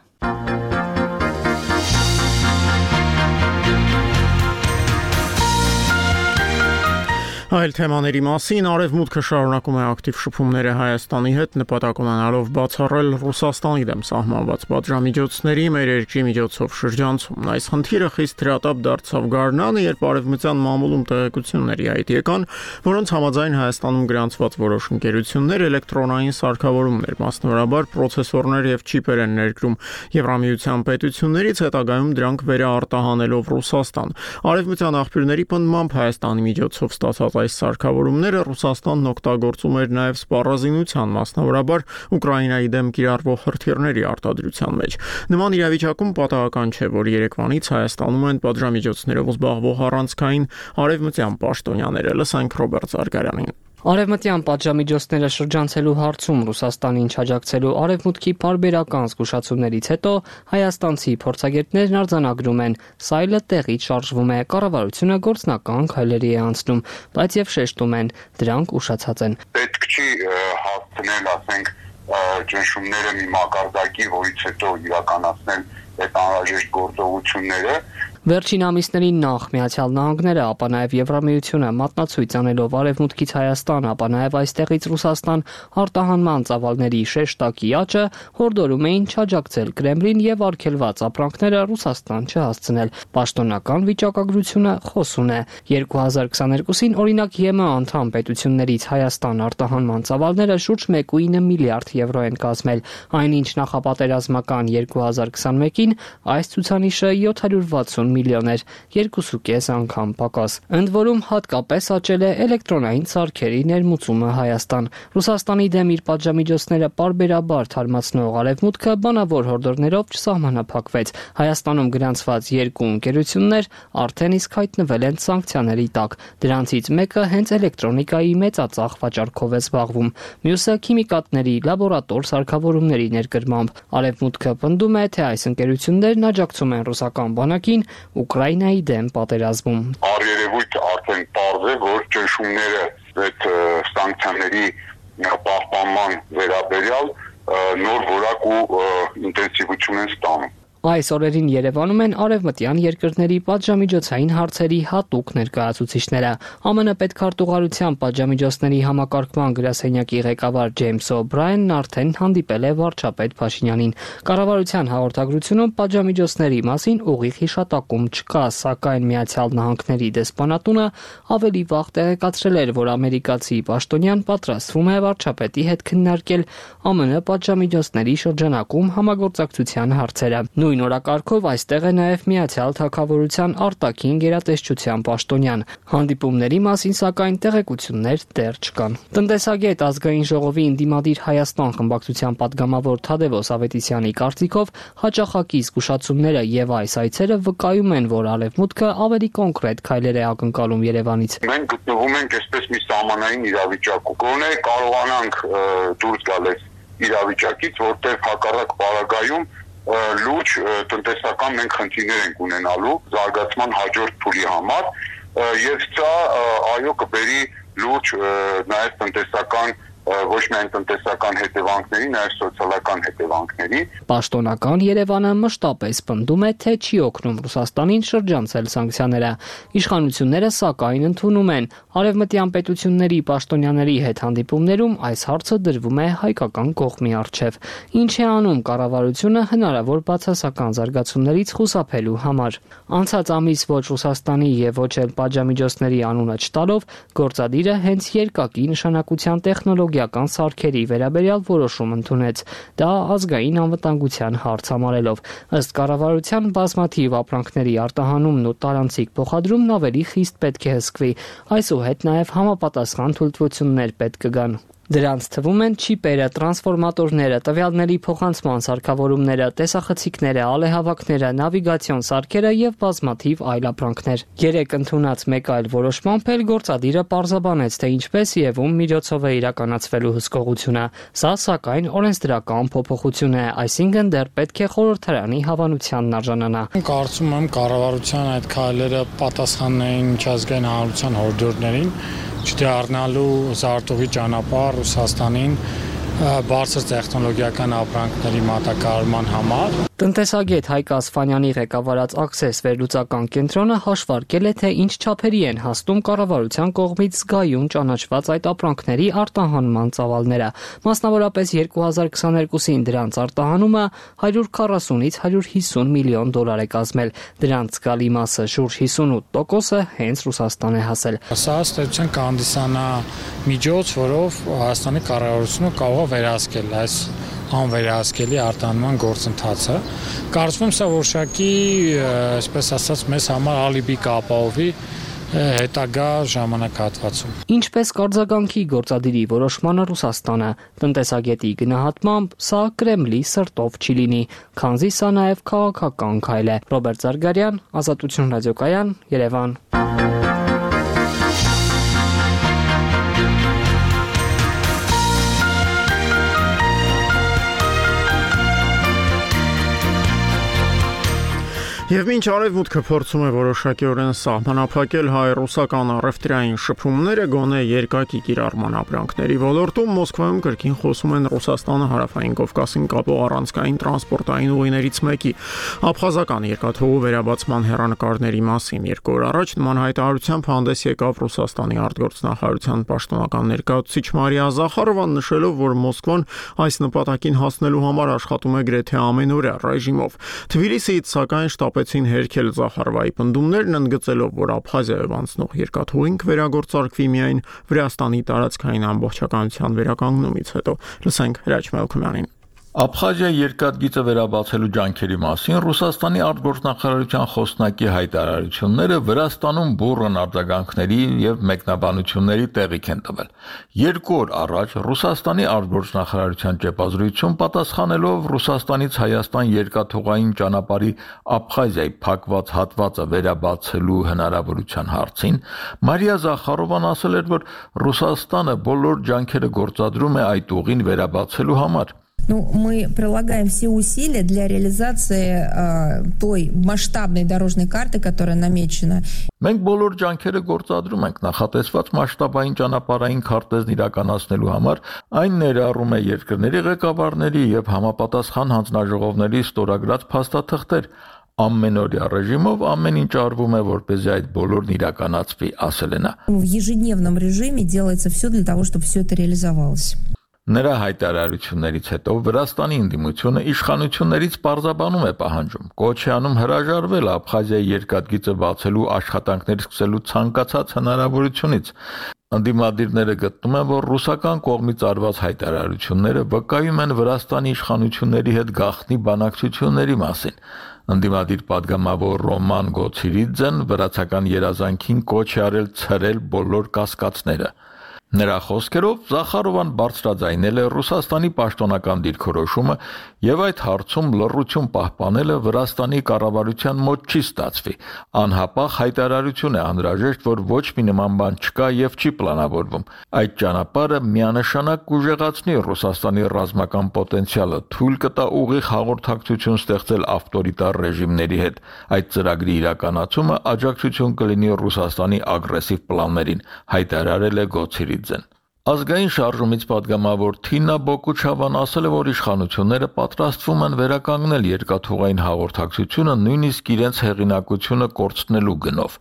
Այլ թեմաների մասին Արևմուտքը շարունակում է ակտիվ շփումները Հայաստանի հետ, նպատակ ունենալով բացառել Ռուսաստանի դեմ սահմանված պատժամիջոցների մեր երկրի միջոցով շրջանցումն։ Այս խնդիրը խիստ հրատապ դարձավ գարնանը, երբ արևմտյան մամուլում տեղեկությունների հայտ եկան, որոնց համաձայն Հայաստանում գրանցված որոշ ընկերություններ էլեկտրոնային սարքավորումներ, մասնավորաբար պրոցեսորներ եւ չիպեր են ներկրում Եվրամիության պետություններից, հետագայում դրանք վերաարտահանելով Ռուսաստան։ Արևմտյան աղբյուրների պնդմամբ Հայաստանի միջոցով ստացած այս սարքավորումները Ռուսաստանն օգտագործում էր նաև սպառազինության, մասնավորաբար Ուկրաինայի դեմ կիրառվող հրթիռների արտադրության մեջ։ Նման իրավիճակում պատահական չէ, որ Երևանից Հայաստանում են պատժամիջոցներով զբաղվող առանցքային արևմտյան պաշտոնյաները։ Լսենք Ռոբերտ Զարգարյանին։ Արևմտյան պատժամիջոցները շրջանցելու հարցում Ռուսաստանին չաջակցելու արևմուտքի պարբերական զգուշացումներից հետո հայաստանցի փորձագետներն արձանագրում են, սայլը տեղից շարժվում է, կառավարությունը գործնական քայլերի է անցնում, բայց եւ շեշտում են, դրանք ուշացած են։ Պետք չի հասցնել, ասենք, ճնշումները մի մակարդակի, որից հետո իրականացնել այդ անհրաժեշտ գործողությունները։ Վերջին ամիսներին նախ Միացյալ Նահանգները, ապա նաև Եվրամիությունը մատնացույց անելով Արևմուտքից Հայաստան, ապա նաև այստեղից Ռուսաստան արտահանման ծավալների շեշտակի աճը հորդորում էին չաջակցել Կրեմլին եւ արգելված ապրանքները Ռուսաստան չհասցնել։ Պաշտոնական վիճակագրությունը խոսուն է։ 2022-ին օրինակ ԵՄ անդամ պետություններից Հայաստան արտահանման ծավալները շուրջ 1.9 միլիարդ եվրո են կազմել, այնինչ նախապատերազմական 2021-ին այս ցուցանիշը 760 միլիոն էր, 2.5 անգամ պակաս։ Ընդ որում հատկապես աճել է էլեկտրոնային սարքերի ներմուծումը Հայաստան։ Ռուսաստանի դեմ իր պատժամիջոցները պարբերաբար թարմացնող Արևմուտքը բանավոր հորդորներով չսահմանափակվեց։ Հայաստանում գրանցված 2 ընկերություններ արդեն իսկ հայտնվել են սանկցիաների տակ։ Դրանցից մեկը հենց էլեկտրոնիկայի մեծածախ վաճառքով է զբաղվում, մյուսը քիմիկատների լաբորատոր սարքավորումների ներկրմամբ։ Արևմուտքը պնդում է, թե այս ընկերություններն աջակցում են ռուսական բանակին Ուկրաինայի դեմ պատերազմում։ Առերևույթ արդեն պարզ է, որ ճնշումները այդ սանկցիաների պահպանման վերաբերյալ նոր որակ ու ինտենսիվություն են ստանում։ Այս օրերին Երևանում են արևմտյան երկրների պատժամիջոցային հարցերի հատուկ ներկայացուցիչները։ ԱՄՆ պետքարտուղարության պատժամիջոցների համակարգման գրասենյակի ղեկավար Ջեյմս Օ'Բրայանն արդեն հանդիպել է վարչապետ Փաշինյանին։ Կառավարության հաղորդագրությունում պատժամիջոցների մասին ուղիղ հիշատակում չկա, սակայն Միացյալ Նահանգների դեսպանատունը ավելի վաղ տեղեկացրել էր, որ ամերիկացի պաշտոնյան պատրաստվում է վարչապետի հետ քննարկել ԱՄՆ պատժամիջոցների շրջանակում համագործակցության հարցերը։ Նույն օրակարգով այստեղ է նաև Միացյալ Թագավորության արտաքին գերատեսչության պաշտոնյան։ Հանդիպումների մասին սակայն տեղեկություններ դեռ չկան։ Տնտեսագետ ազգային ժողովի ընդդիմադիր Հայաստան խմբակցության падգամավոր Թադևոս Ավետիսյանի կարծիքով հաճախակի զգուշացումները եւ այս այցերը վկայում են, որ Արևմուտքը ավելի կոնկրետ քայլեր է ակնկալում Երևանից։ Մենք գտնվում ենք այսպես մի սահմանային իրավիճակում։ Գոնե կարողանանք դուրս գալ այս իրավիճակից, որտեղ հակառակ պարագայում լուրջ տնտեսական մենք խնդիրներ ենք ունենալու զարգացման հաջորդ փուլի համար եւ սա այո կբերի լուրջ նաեւ տնտեսական ոչ միայն տնտեսական հետևանքների, նաև սոցիալական հետևանքների։ Պաշտոնական Երևանը մշտապես պնդում է, թե չի օգնում Ռուսաստանին շրջանցել սանկցիաները։ Իշխանությունները սակայն ընդունում են։ Արևմտյան պետությունների պաշտոնյաների հետ հանդիպումներում այս հարցը դրվում է հայկական կողմի առջև։ Ինչ է անում կառավարությունը հնարավոր բացասական զարգացումներից խուսափելու համար։ Անցած ամիս ոչ Ռուսաստանի եւ ոչ էլ պատժամիջոցների անունը չտալով գործադիրը հենց երկակի նշանակության տեխնոլոգիական սարքերի վերաբերյալ որոշում ընդունեց։ Դա ազգային անվտանգության հարց համարելով։ Ըստ կառավարության բազմաթիվ ապրանքների արտահանումն ու տարանցիկ փոխադրումն ավելի խիստ պետք է հսկվի, այսուհետ նաև համապատասխան թույլտվություններ պետք կգան։ Դրանց թվում են չիպերը, տրանսֆորմատորները, տվյալների փոխանցման սարքավորումները, տեսախցիկները, ալեհավաքները, նավիգացիոն սարքերը եւ բազմաթիվ այլ ապրանքներ։ Երեք ընդունած մեկ այլ որոշմամբ էլ գործադիրը պարզաբանեց, թե ինչպես եւ ում միջոցով է իրականացվելու հսկողությունը։ Սա սակայն օրենսդրական փոփոխություն է, այսինքն դեռ պետք է խորհրդարանի հավանությանն արժանանա։ Կարծում եմ կառավարության այդ քայլերը պատասխանն էին միջազգային հանրության հորդորներին, չդառնալու զարտուղի ճանապարհ Ռուսաստանին բարձր տեխնոլոգիական ապրանքների մատակարարման համար։ Տնտեսագետ Հայկ Ասֆանյանի ղեկավարած Access վերլուծական կենտրոնը հաշվարկել է, թե ինչ չափերի են հասնում կառավարության կողմից զգայուն ճանաչված այդ ապրանքների արտահանման ծավալները։ Մասնավորապես 2022-ին դրանց արտահանումը 140-ից 150 միլիոն դոլար է կազմել։ Դրանց զգալի մասը շուրջ 58%-ը հենց Ռուսաստան է հասել։ Սա ստեցության կհանդիսանա միջոց, որով Հայաստանի կառավարությունը կարող է վերահսկել այս անվերահսկելի արտահանման գործընթացը։ Կարծում եմ սա որոշակի, այսպես ասած, մեզ համար ալիբի կապահովի հետագա ժամանակահատվածում։ Ինչպես կարձագանքի գործադիրի որոշմանը Ռուսաստանը, տնտեսագետի գնահատմամբ սա Կրեմլի սրտով չի լինի, քանզի սա նաև քաղաքական քայլ է։ Ռոբերտ Զարգարյան, Ազատություն ռադիոկայան, Երևան։ Եվ մինչ արևմուտքը փորձում է որոշակիորեն սահմանափակել հայ-ռուսական առևտրային շփումները գոնե երկակի կիրառման ապրանքների ոլորտում, Մոսկվայում կրկին խոսում են Ռուսաստանը հարավային Կովկասին կապող առանցքային տրանսպորտային ուղիներից մեկի աբխազական երկաթուղու վերաբացման հեռանկարների մասին։ 2 օր առաջ նման հայտարարությամբ հանդես եկավ Ռուսաստանի արտգործնախարարության պաշտոնական ներկայացուցիչ Մարիա Զախարովան, նշելով, որ Մոսկվան այս նպատակին հասնելու համար աշխատում է գրեթե ամենօրյա ռեժիմով։ Թբիլիսիից սակայն շտապեցին հերքել Զախարովայի պնդումներն, ընդգծելով, որ Աբխազիայով անցնող երկաթուղին կվերագործարկվի միայն Վրաստանի տարածքային ամբողջականության վերականգնումից հետո։ Լսենք Հրաչ Մելքումյանին։ Աբխազիայի երկաթգիծը վերաբացելու ջանքերի մասին Ռուսաստանի արտգործնախարարության խոսնակի հայտարարությունները Վրաստանում բուռն արձագանքների եւ մեկնաբանությունների տեղիք են տվել։ 2 օր առաջ Ռուսաստանի արտգործնախարարության ճեպազրույցում պատասխանելով Ռուսաստանից Հայաստան երկաթուղային ճանապարհի Աբխազիայի փակված հատվածը վերաբացելու հնարավորության հարցին Մարիա Զախարովան ասել էր, որ Ռուսաստանը բոլոր ջանքերը գործադրում է այդ ուղին վերաբացելու համար։ Мы прилагаем все усилия для реализации той масштабной дорожной карты, которая намечена. Մենք բոլոր ջանքերը գործադրում ենք նախատեսված մասշտաբային ճանապարհային քարտեզն իրականացնելու համար, այն ներառում է երկրների ղեկավարների եւ համապատասխան հանձնաժողովների ստորագրած փաստաթղթեր։ Ամենօրյա ռեժիմով ամեն ինչ արվում է, որպեսզի այդ բոլորն իրականացվի, ասել է նա։ В ежедневном режиме делается все для того, чтобы все это реализовалось. Նրա հայտարարություններից հետո Վրաստանի ընդդիմությունը իշխանություններից պարզաբանում է պահանջում, կոչ է անում հրաժարվել Աբխազիայի երկաթգիծը բացելու աշխատանքներ սկսելու ցանկացած հնարավորությունից։ Ընդդիմադիրները գտնում են, որ ռուսական կողմից արված հայտարարությունները վկայում են Վրաստանի իշխանությունների հետ գաղտնի բանակցությունների մասին։ Ընդդիմադիր падգամավոր Ռոման Գոցիրիձեն վրացական երազանքին կոչ է արել ցրել բոլոր կասկածները։ Նրա խոսքերով Զախարովան բարձրաձայնել է Ռուսաստանի պաշտոնական դիրքորոշումը եւ այդ հարցում լռություն պահպանելը Վրաստանի կառավարության մոտ չի ստացվի։ Անհապաղ հայտարարություն է անհրաժեշտ, որ ոչ մի նման բան չկա եւ չի պլանավորվում։ Այդ ճանապարհը միանշանակ կուժեղացնի Ռուսաստանի ռազմական պոտենցիալը, թույլ կտա ուղիղ հաղորդակցություն ստեղծել ավտորիտար ռեժիմների հետ։ Այդ ծրագրի իրականացումը աջակցություն կլինի Ռուսաստանի ագրեսիվ պլաններին, հայտարարել է Գոցիրիձեն։ Ազգային շարժումից падգամավոր Թինա Բոկուչավան ասել է, որ իշխանությունները պատրաստվում են վերականգնել երկաթուղային հաղորդակցությունը նույնիսկ իրենց հեղինակությունը կորցնելու գնով։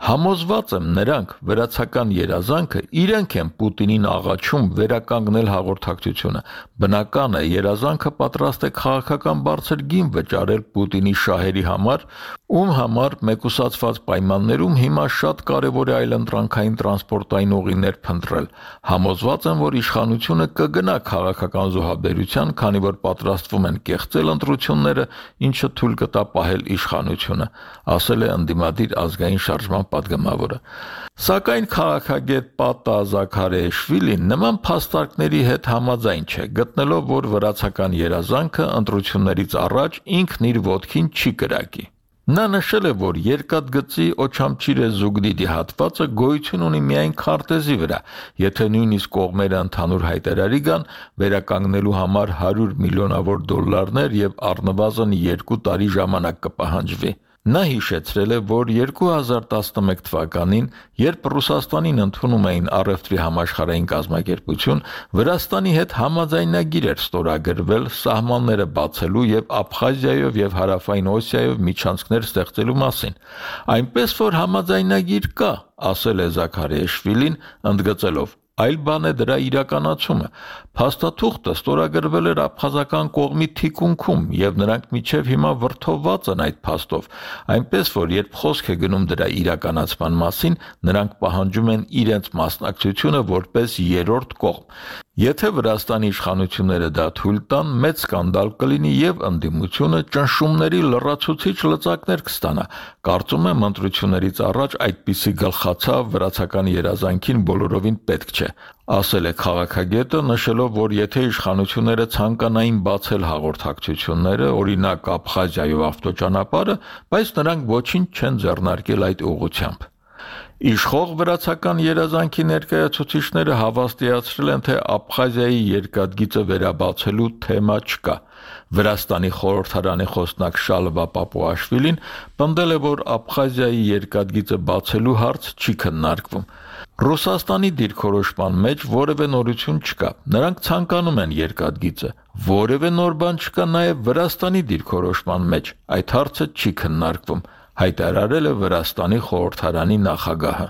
Համոզված եմ, նրանք վերացական երազանքը իրենք են Պուտինին աղաչում վերականգնել հաղորդակցությունը։ Բնական է, երազանքը պատրաստ է քաղաքական բարձր գին վճարել Պուտինի շահերի համար, ում համար մեկուսացված պայմաններում հիմա շատ կարևոր է այլընտրանքային տրանսպորտային ուղիներ փնտրել։ Համոզված եմ, որ իշխանությունը կգնա քաղաքական զոհաբերության, քանի որ պատրաստվում են կեղծել ընտրությունները, ինչը թույլ կտա պահել իշխանությունը, ասել է ընդդիմադիր ազգային շարժման պատգամավորը։ Սակայն քաղաքագետ Պատա Զաքարեշվիլին նման փաստարկների հետ համաձայն չէ, գտնելով, որ վրացական երազանքը ընտրություններից առաջ ինքն իր ոտքին չի կրակի։ Նա նշել է, որ երկաթգծի Օչամչիրե Զուգդիդի հատվածը գոյություն ունի միայն քարտեզի վրա, եթե նույնիսկ կողմերը ընդհանուր հայտարարի գան վերականգնելու համար $100 միլիոն եւ առնվազն 2 տարի ժամանակ կպահանջվի։ Նա հիշեցրել է, որ 2011 թվականին, երբ Ռուսաստանին ընդունում էին առևտրի համաշխարհային կազմակերպություն, Վրաստանի հետ համաձայնագիր էր ստորագրվել սահմանները բացելու եւ Աբխազիայով եւ Հարավային Օսիայով միջանցքներ ստեղծելու մասին։ Այնպես որ համաձայնագիր կա, ասել է Զաքարեշվիլին, ընդգծելով. Այլ բան է դրա իրականացումը։ Փաստաթուղթը ստորագրվել էր աբխազական կողմի թիկունքում եւ նրանք միջև հիմա վրթովված են այդ փաստով, այնպես որ երբ խոսք է գնում դրա իրականացման մասին, նրանք պահանջում են իրենց մասնակցությունը որպես երրորդ կողմ։ Եթե Վրաստանի իշխանությունները դա թույլ տան, մեծ սկանդալ կլինի եւ ընդդիմությունը ճնշումների լրացուցիչ լծակներ կստանա։ Կարծում եմ ընտրություններից առաջ այդպիսի գլխացավ վրացական երազանքին բոլորովին պետք չէ, ասել է քաղաքագետը, նշելով, որ եթե իշխանությունները ցանկանային բացել հաղորդակցությունները, օրինակ Աբխազիայով ավտոճանապարհը, բայց նրանք ոչինչ չեն ձեռնարկել այդ ուղղությամբ։ Իշխող վրացական երազանքի ներկայացուցիչները հավաստիացրել են, թե Աբխազիայի երկաթգիծը վերաբացելու թեմա չկա։ Վրաստանի խորհրդարանի խոսնակ Շալվա Պապուաշվիլին պնդել է, որ Աբխազիայի երկաթգիծը բացելու հարց չի քննարկվում։ Ռուսաստանի դիրքորոշման մեջ որևէ նորություն չկա։ Նրանք ցանկանում են երկաթգիծը։ Որևէ նոր բան չկա նաև Վրաստանի դիրքորոշման մեջ։ Այդ հարցը չի քննարկվում, հայտարարել է Վրաստանի խորհրդարանի նախագահը։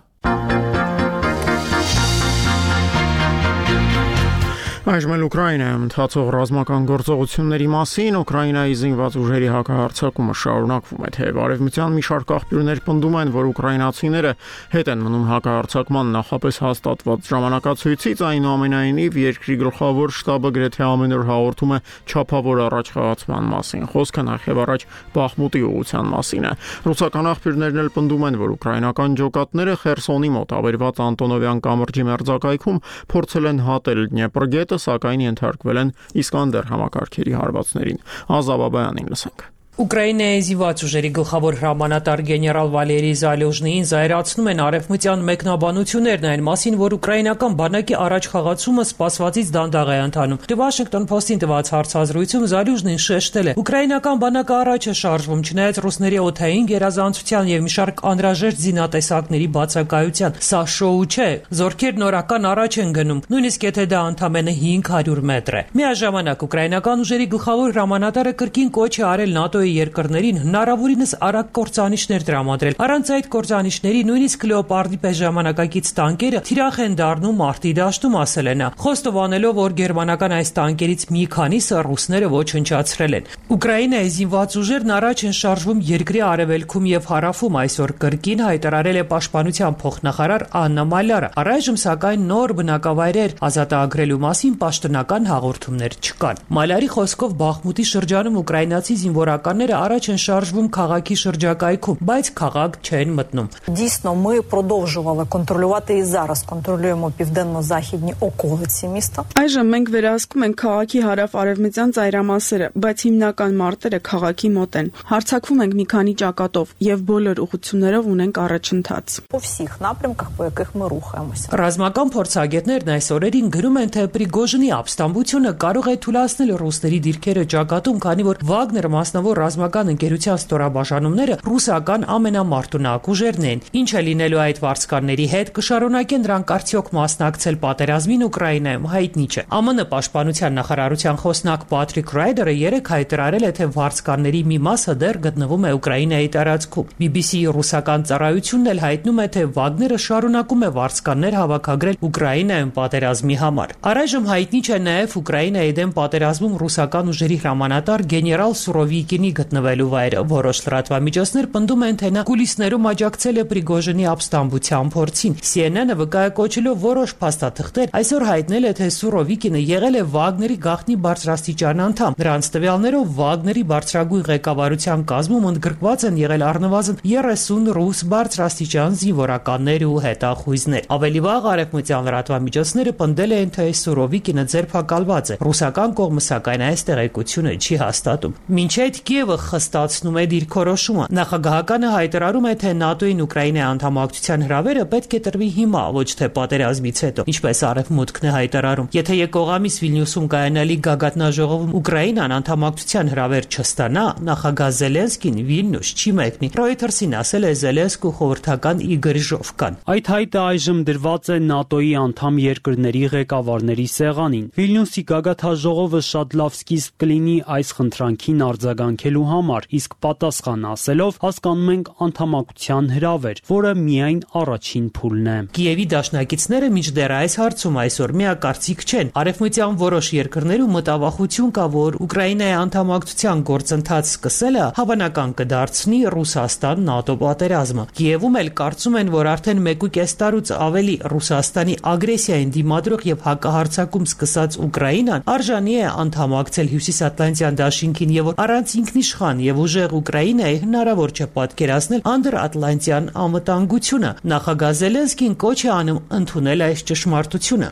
Այժմ էլ Ուկրաինայում ընթացող ռազմական գործողությունների մասին Ուկրաինայի զինված ուժերի հակահարձակումը շարունակվում է, թեև արևմտյան մի շարք աղբյուրներ պնդում են, որ ուկրաինացիները հետ են մնում հակահարձակման նախապես հաստատված ժամանակացույցից, այնուամենայնիվ երկրի գլխավոր շտաբը գրեթե ամեն օր հաղորդում է չափավոր առաջխաղացման մասին, խոսքը նախև առաջ Բախմուտի ուղղության մասին է։ Ռուսական աղբյուրներն էլ պնդում են, որ ուկրաինական ջոկատները Խերսոնի մոտ ավերված Անտոնովյան կամրջի մերձակայքում փորձել են հատել Դնեպրգետը, սակայն ենթարկվել են Իսկանդեր համակարգերի հարվածներին։ Ազաբաբայանին լսենք։ Ուկրաինայի զինված ուժերի գլխավոր հրամանատար գեներալ Վալերի Զալյուժնին զայրացնում են արևմտյան մեկնաբանություններն այն մասին, որ ուկրաինական բանակի առաջխաղացումը սպասվածից դանդաղ է ընթանում։ The Washington Post-ին տված հարցազրույցում Զալյուժնին շեշտել է. ուկրաինական բանակը առաջ է շարժվում, չնայած ռուսների օդային գերազանցության եւ մի շարք անհրաժեշտ զինատեսակների բացակայության։ Սա շոու չէ, զորքերն օրական առաջ են գնում, նույնիսկ եթե դա ընդամենը 500 մետր է։ Միաժամանակ ուկրաինական ուժերի գլխավոր հրամանատարը կրկին կոչ է արել ՆԱՏՕ-ի երկրներին հնարավորինս արագ կործանիչներ տրամադրել։ Առանց այդ կործանիչների նույնիսկ Լեոպարդի պես ժամանակակից տանկերը թիրախ են դառնում մարտի դաշտում, ասել է նա, խոստովանելով, որ գերմանական այս տանկերից մի քանիսը ռուսները ոչնչացրել են։ Ուկրաինայի զինված ուժերն առաջ են շարժվում երկրի արևելքում եւ հարավում, այսօր կրկին հայտարարել է պաշտպանության փոխնախարար Աննա Մալյարը։ Առայժմ սակայն նոր բնակավայրեր ազատագրելու մասին պաշտոնական հաղորդումներ չկան։ Մալյարի խոսքով Բախմուտի շրջանում ուկրաինացի զինվորականները առաջ են շարժվում քաղաքի շրջակայքում, բայց քաղաք չեն մտնում։ Дійсно, ми продовжували контролювати і зараз контролюємо південно-західні околиці міста. Այժմ մենք վերահսկում ենք քաղաքի հարավ-արևմտյան ծայրամասերը, բայց հիմնական մարտերը քաղաքի մոտ են։ Հարձակվում ենք մի քանի ճակատով եւ բոլոր ուղղություններով ունենք առաջընթաց։ По всіх напрямках, по яких ми рухаємося. Ռազմական փորձագետներն այս օրերին գրում են, թե Պրիգոժինի ապստամբությունը կարող է թույլատրել ռուսների դիրքերը ճակատում, քանի որ Վագներ մասնավոր ռազմական ընկերության ստորաբաժանումները ռուսական ամենամարտունակ ուժերն են։ Ինչ է լինելու այդ վարձկանների հետ, կշարունակեն նրանք արդյոք մասնակցել պատերազմին Ուկրաինայում, հայտնի չէ։ ԱՄՆ պաշտպանության նախարարության խոսնակ Patrick Ryder-ը երեկ հայտարարել է, թե վարձկանների մի մասը դեռ գտնվում է Ուկրաինայի տարածքում։ BBC-ի ռուսական ծառայությունն էլ հայտնում է, թե Վագները շարունակում է վարձկաններ հավաքագրել Ուկրաինայում պատերազմի համար։ Առայժմ հայտնի չէ նաև Ուկրաինայի դեմ պատերազմում ռուսական ուժերի հրամանատար գեներալ Սուրովիկինի գտնվելու վայրը։ Որոշ լրատվամիջոցներ պնդում են, թե նա կուլիսներում աջակցել է Պրիգոժինի ապստամբության փորձին։ CNN-ը վկայակոչելով որոշ փաստաթղթեր այսօր հայտնել է, թե Սուրովիկինը եղել է Վագների գաղտնի բարձրաստիճան անդամ։ Նրանց տվյալներով Վագների բարձրագույն ղեկավարության կազմում ընդգրկված են եղել առնվազն 30 ռուս բարձրաստիճան զինվորականներ ու հետախույզներ։ Ավելի վաղ արևմտյան լրատվամիջոցները պնդել էին, թե Սուրովիկինը ձերբակալված է։ Ռուսական կողմը սակայն այս տեղեկությունը չի հաստատում։ Մինչ այդ Կիևը խստացնում է դիրքորոշումը։ Նախագահականը հայտարարում է, թե ՆԱՏՕ-ին Ուկրաինայի անդամակցության հրավերը պետք է տրվի հիմա, ոչ թե պատերազմից հետո, ինչպես Արևմուտքն է հայտարարում։ Եթե եկող ամիս Վիլնյուսում կայանալի գագաթնաժողովում Ուկրաինան անդամակցության հրավեր չստանա, նախագահ Զելենսկին Վիլնյուս չի մեկնի։ Reuters-ին ասել է Զելենսկու խորհրդական Իգոր Ժովկան։ Այդ հայտը այժմ դրված է ՆԱՏՕ-ի անդամ երկրների ղեկավարների սեղանին։ Վիլնյուսի գագաթնաժողովը շատ լավ սկիզբ կլինի այս խնդրանքին արձագանքելու համար, իսկ պատասխան ասելով հասկանում ենք անդամակցության հրավեր, որը միայն առաջին փուլն է։ Կիևի դաշնակիցները մինչդեռ այս հարցում այսօր միակարծիք չեն։ Արևմտյան որոշ երկրներում մտավախություն կա, որ Ուկրաինայի անդամակցության գործընթաց սկսելը հավանական կդարձնի Ռուսաստան-ՆԱՏՕ պատերազմը։ Կիևում էլ կարծում են, որ արդեն 1.5 տարուց ավելի Ռուսաստանի ագրեսիային դիմադրող եւ հակահարձակում սկսած Ուկրաինան արժանի է անդամակցել Հյուսիսատլանտյան դաշինքին եւ որ առանց ինքնիշխան եւ ուժեղ Ուկրաինայի հնարավոր չէ պատկերացնել անդրատլանտյան անվտանգությունը։ Նախագահ Զելենսկին կոչ է անում ընդունել այս ճշմարտությունը։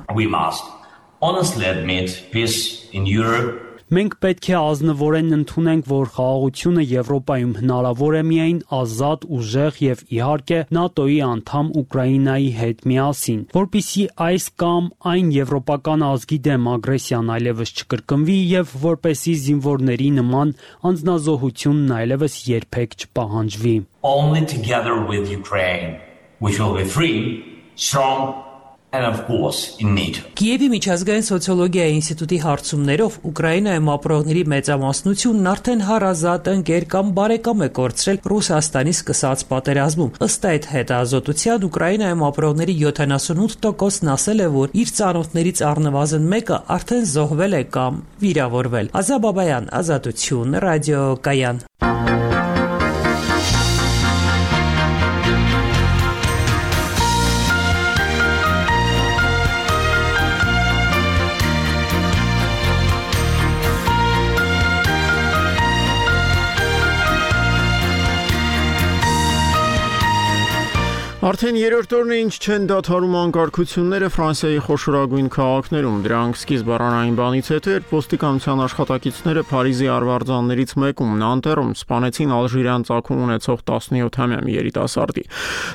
Մենք պետք է ազնվորեն ընդունենք, որ խաղաղությունը Եվրոպայում հնարավոր է միայն ազատ, ուժեղ եւ իհարկե ՆԱՏՕ-ի անդամ Ուկրաինայի հետ միասին, որպիսի այս կամ այն եվրոպական ազգի դեմ ագրեսիան այլևս չկրկնվի եւ որպեսի զինվորների նման անձնազոհությունն այլևս երբեք չպահանջվի։ Only together with Ukraine we shall be free, strong and of course in NATO. Կիևի միջազգային սոցիոլոգիայի ինստիտուտի հարցումներով Ուկրաինայում ապրողների մեծամասնությունն արդեն հարազատ, ընկեր կամ բարեկամ է կորցրել Ռուսաստանի սկսած պատերազմում։ Ըստ այդ հետազոտության Ուկրաինայում ապրողների 78%-ն ասել է, որ իր ծանոթներից առնվազն մեկը արդեն զոհվել է կամ վիրավորվել։ Ազատ Բաբայան, Ազատություն, ռադիոկայան։ Արդեն երրորդ օրն է ինչ չեն դադարում անկարգությունները Ֆրանսիայի խոշորագույն քաղաքներում։ Դրանք սկիզբ առանային բանից հետո էր ոստիկանության աշխատակիցները Փարիզի արվարձաններից մեկում Նանտերում սպանեցին ալժիրյան ծագում ունեցող 17-ամյա մի երիտասարդի։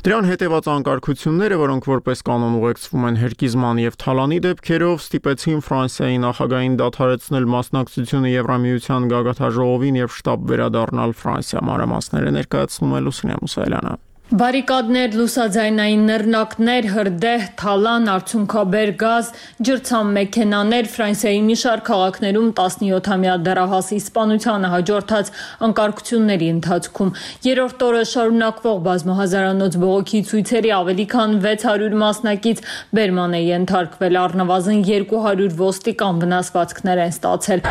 Դրան հետևած անկարգությունները, որոնք որպես կանոն ուղեկցվում են հերկիզման եւ թալանի դեպքերով, ստիպեցին Ֆրանսիայի նախագահին դադարեցնել մասնակցությունը Եվրամիության գագաթնաժողովին եւ շտաբ վերադառնալ Ֆրանսիա։ Մանրամասները ներկայացնում է Լուսինե Մուսայելյանը։ Բարիկադներ, լուսաձայնային նռնակներ, հրդեհ, թալան, արցունքաբեր գազ, ջրցան մեքենաներ Ֆրանսիայի մի շարք քաղաքներում 17-ամյա դեռահասի սպանությանը հաջորդած անկարգությունների ընթացքում երրորդ օրը շարունակվող բազմահազարանոց բողոքի ցույցերի ավելի քան 600 մասնակից բերման է ենթարկվել, առնվազն 200 ոստիկան վնասվածքներ են ստացել։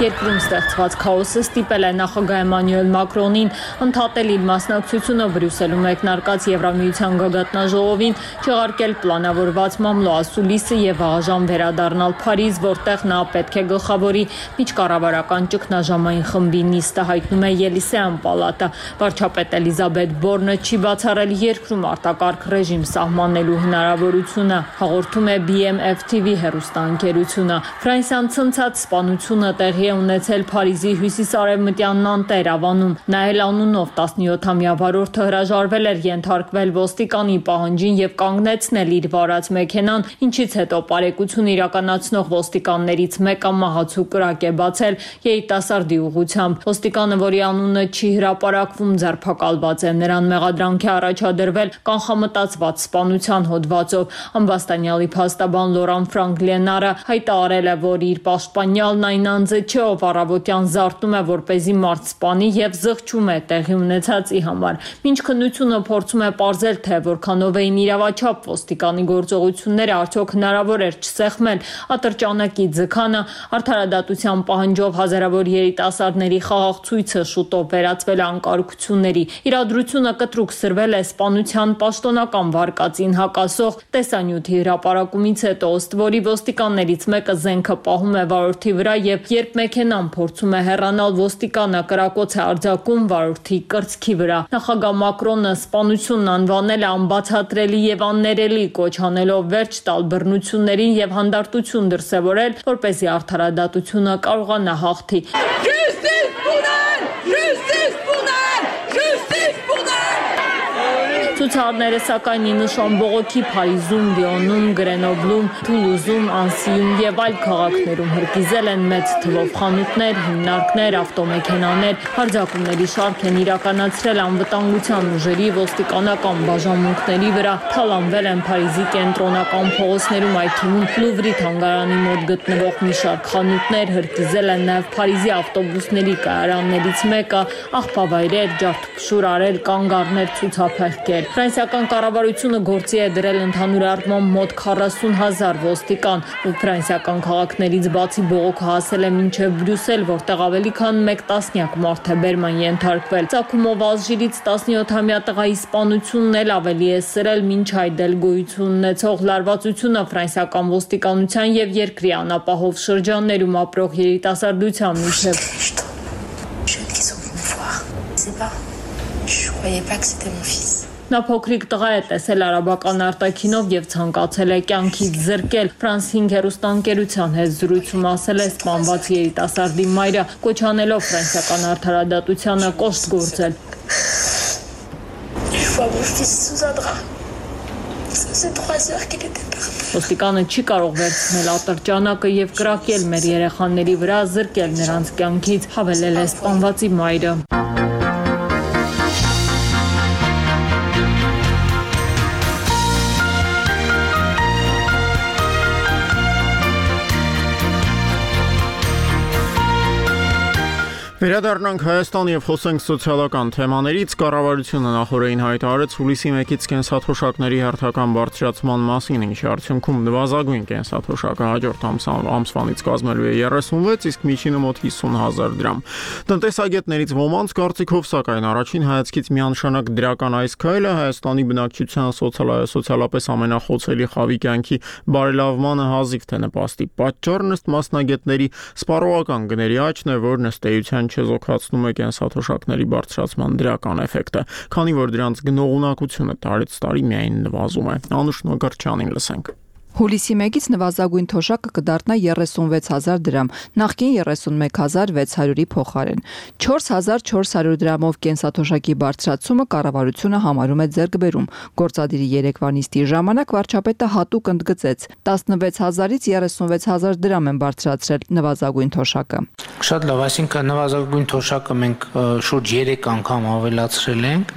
Երկրում ստեղծված քաոսը ստիպել է նախագահ Էմանուել Մակրոնին ընդհատել իր մասնակցությունը Բրյուսելում մեկնարկած Եվրամիության գագաթնաժողովին, չեղարկել պլանավորված մամլո ասուլիսը եւ աղաժամ վերադառնալ Փարիզ, որտեղ նա պետք է գլխավորի միջկառավարական ճգնաժամային խմբի նիստը, հայտնում է Ելիսեան պալատը։ Վարչապետ Էլիզաբեթ Բորնը չի բացառել երկրում արտակարգ ռեժիմ սահմանելու հնարավորությունը, հաղորդում է BMF TV հեռուստաընկերությունը։ Ֆրանսիան ցնցած սպանությունը տեղի է ունեցել Փարիզի հյուսիսարևմտյան Նանտեր ավանում։ Նայել անունով 17-ամյա վարորդը հրաժարվել էր ենթարկվել ոստիկանի պահանջին եւ կանգնեցնել իր վարած մեքենան, ինչից հետո պարեկություն իրականացնող ոստիկաններից մեկը մահացու կրակ է բացել երիտասարդի ուղղությամբ։ Ոստիկանը, որի անունը չի հրապարակվում, ձերբակալված է։ Նրան մեղադրանք է առաջադրվել կանխամտածված սպանության հոդվածով։ Ամբաստանյալի փաստաբան Լորան Ֆրանկլենարը հայտարարել է, որ իր պաշտպանյալն այն անձը չէ, ով առավոտյան զարթնում է, որպեսզի մարդ սպանի եւ զղջում է տեղի ունեցածի համար։ Մինչ քննությունը փորձում է պարզել, թե որքանով էին իրավաչափ ոստիկանի գործողությունները, արդյոք հնարավոր էր չսեղմել ատրճանակի ձգանը, արդարադատության պահանջով հազարավոր երիտասարդների խաղաղ ցույցը շուտով վերածվել է անկարգությունների։ Իրադրությունը կտրուկ սրվել է սպանության պաշտոնական վարկածին հակասող տեսանյութի հրապարակումից հետո, ըստ որի ոստիկաններից մեկը զենքը պահում է վարորդի վրա եւ երբ մեքենան փորձում է հեռանալ, ոստիկանը կրակոց է արձակում վարորդի կրծքի վրա։ Նախագահ Մակրոնը սպանությունն անվանել է անբացատրելի եւ աններելի, կոչ անելով վերջ տալ բռնություններին եւ հանդարտություն դրսեւորել, որպեսզի արդարադատությունը կարողանա հաղթի։ Ցուցարարները սակայն նշան բողոքի Փարիզում, Լիոնում, Գրենոբլում, Թուլուզում, Անսիում եւ այլ քաղաքներում հրկիզել են մեծ թվով խանութներ, հիմնարկներ, ավտոմեքենաներ, հարձակումների շարք են իրականացրել անվտանգության ուժերի ոստիկանական բաժանմունքների վրա, թալանվել են Փարիզի կենտրոնական փողոցներում, այդ թվում Լուվրի թանգարանի մոտ գտնվող մի շարք խանութներ, հրկիզել են նաեւ Փարիզի ավտոբուսների կայարաններից մեկը, աղբավայրեր, ջարդփշուր արել, կանգառներ, ցուցափեղկեր։ Ֆրանսիական կառավարությունը գործի է դրել ընդհանուր առմամբ մոտ 40,000 ոստիկան, ու ֆրանսիական քաղաքներից բացի բողոքը հասել է մինչև Բրյուսել, որտեղ ավելի քան 1 տասնյակ մարդ է բերման ենթարկվել։ Ծագումով Ալժիրից 17-ամյա տղայի սպանությունն էլ ավելի է սրել մինչ այդ էլ գոյություն ունեցող լարվածությունը ֆրանսիական ոստիկանության եւ երկրի անապահով շրջաններում ապրող երիտասարդության միջև։ Նա փոքրիկ տղա է տեսել արաբական արտաքինով եւ ցանկացել է կյանքից զրկել։ Ֆրանս 5 հեռուստաընկերության հետ զրույցում ասել է սպանված երիտասարդի մայրը, կոչ անելով ֆրանսիական արդարադատությանը կոշտ գործել։ Ոստիկանը չի կարող վերցնել ատրճանակը եւ կրակել մեր երեխաների վրա, զրկել նրանց կյանքից, հավելել է սպանվածի մայրը։ Վերադառնանք Հայաստան եւ խոսենք սոցիալական թեմաներից։ Կառավարությունը նախորդին հայտարարեց հուլիսի 1-ից կենսաթոշակների հերթական բարձրացման մասին, ինչի արդյունքում նվազագույն կենսաթոշակը հաջորդ ամսվանից կազմելու է 36, իսկ միջինը մոտ 50,000 դրամ։ Տնտեսագետներից ոմանց կարծիքով, սակայն առաջին հայացքից միանշանակ դրական այս քայլը Հայաստանի բնակչության սոցիալապես ամենախոցելի խավի կյանքի բարելավմանը հազիվ թե նպաստի։ Պատճառն ըստ մասնագետների սպառողական գների աճն է, որն ըստ էության չեզոքացնում է կենսաթոշակների բարձրացման դրական էֆեկտը, քանի որ դրանց գնողունակությունը տարեց տարի միայն նվազում է։ Անուշ Նոգարչյանին լսենք։ Հուլիսի 1-ից նվազագույն թոշակը կդառնա 36,000 դրամ, նախկին 31,600-ի փոխարեն։ 4,400 դրամով կենսաթոշակի բարձրացումը կառավարությունը համարում է ձեռքբերում։ Գործադիրի երեկվա նիստի ժամանակ վարչապետը հատուկ ընդգծեց՝ 16,000-ից 36,000 դրամ են բարձրացրել նվազագույն թոշակը։ Շատ լավ, այսինքն նվազագույն թոշակը մենք շուրջ 3 անգամ ավելացրել ենք։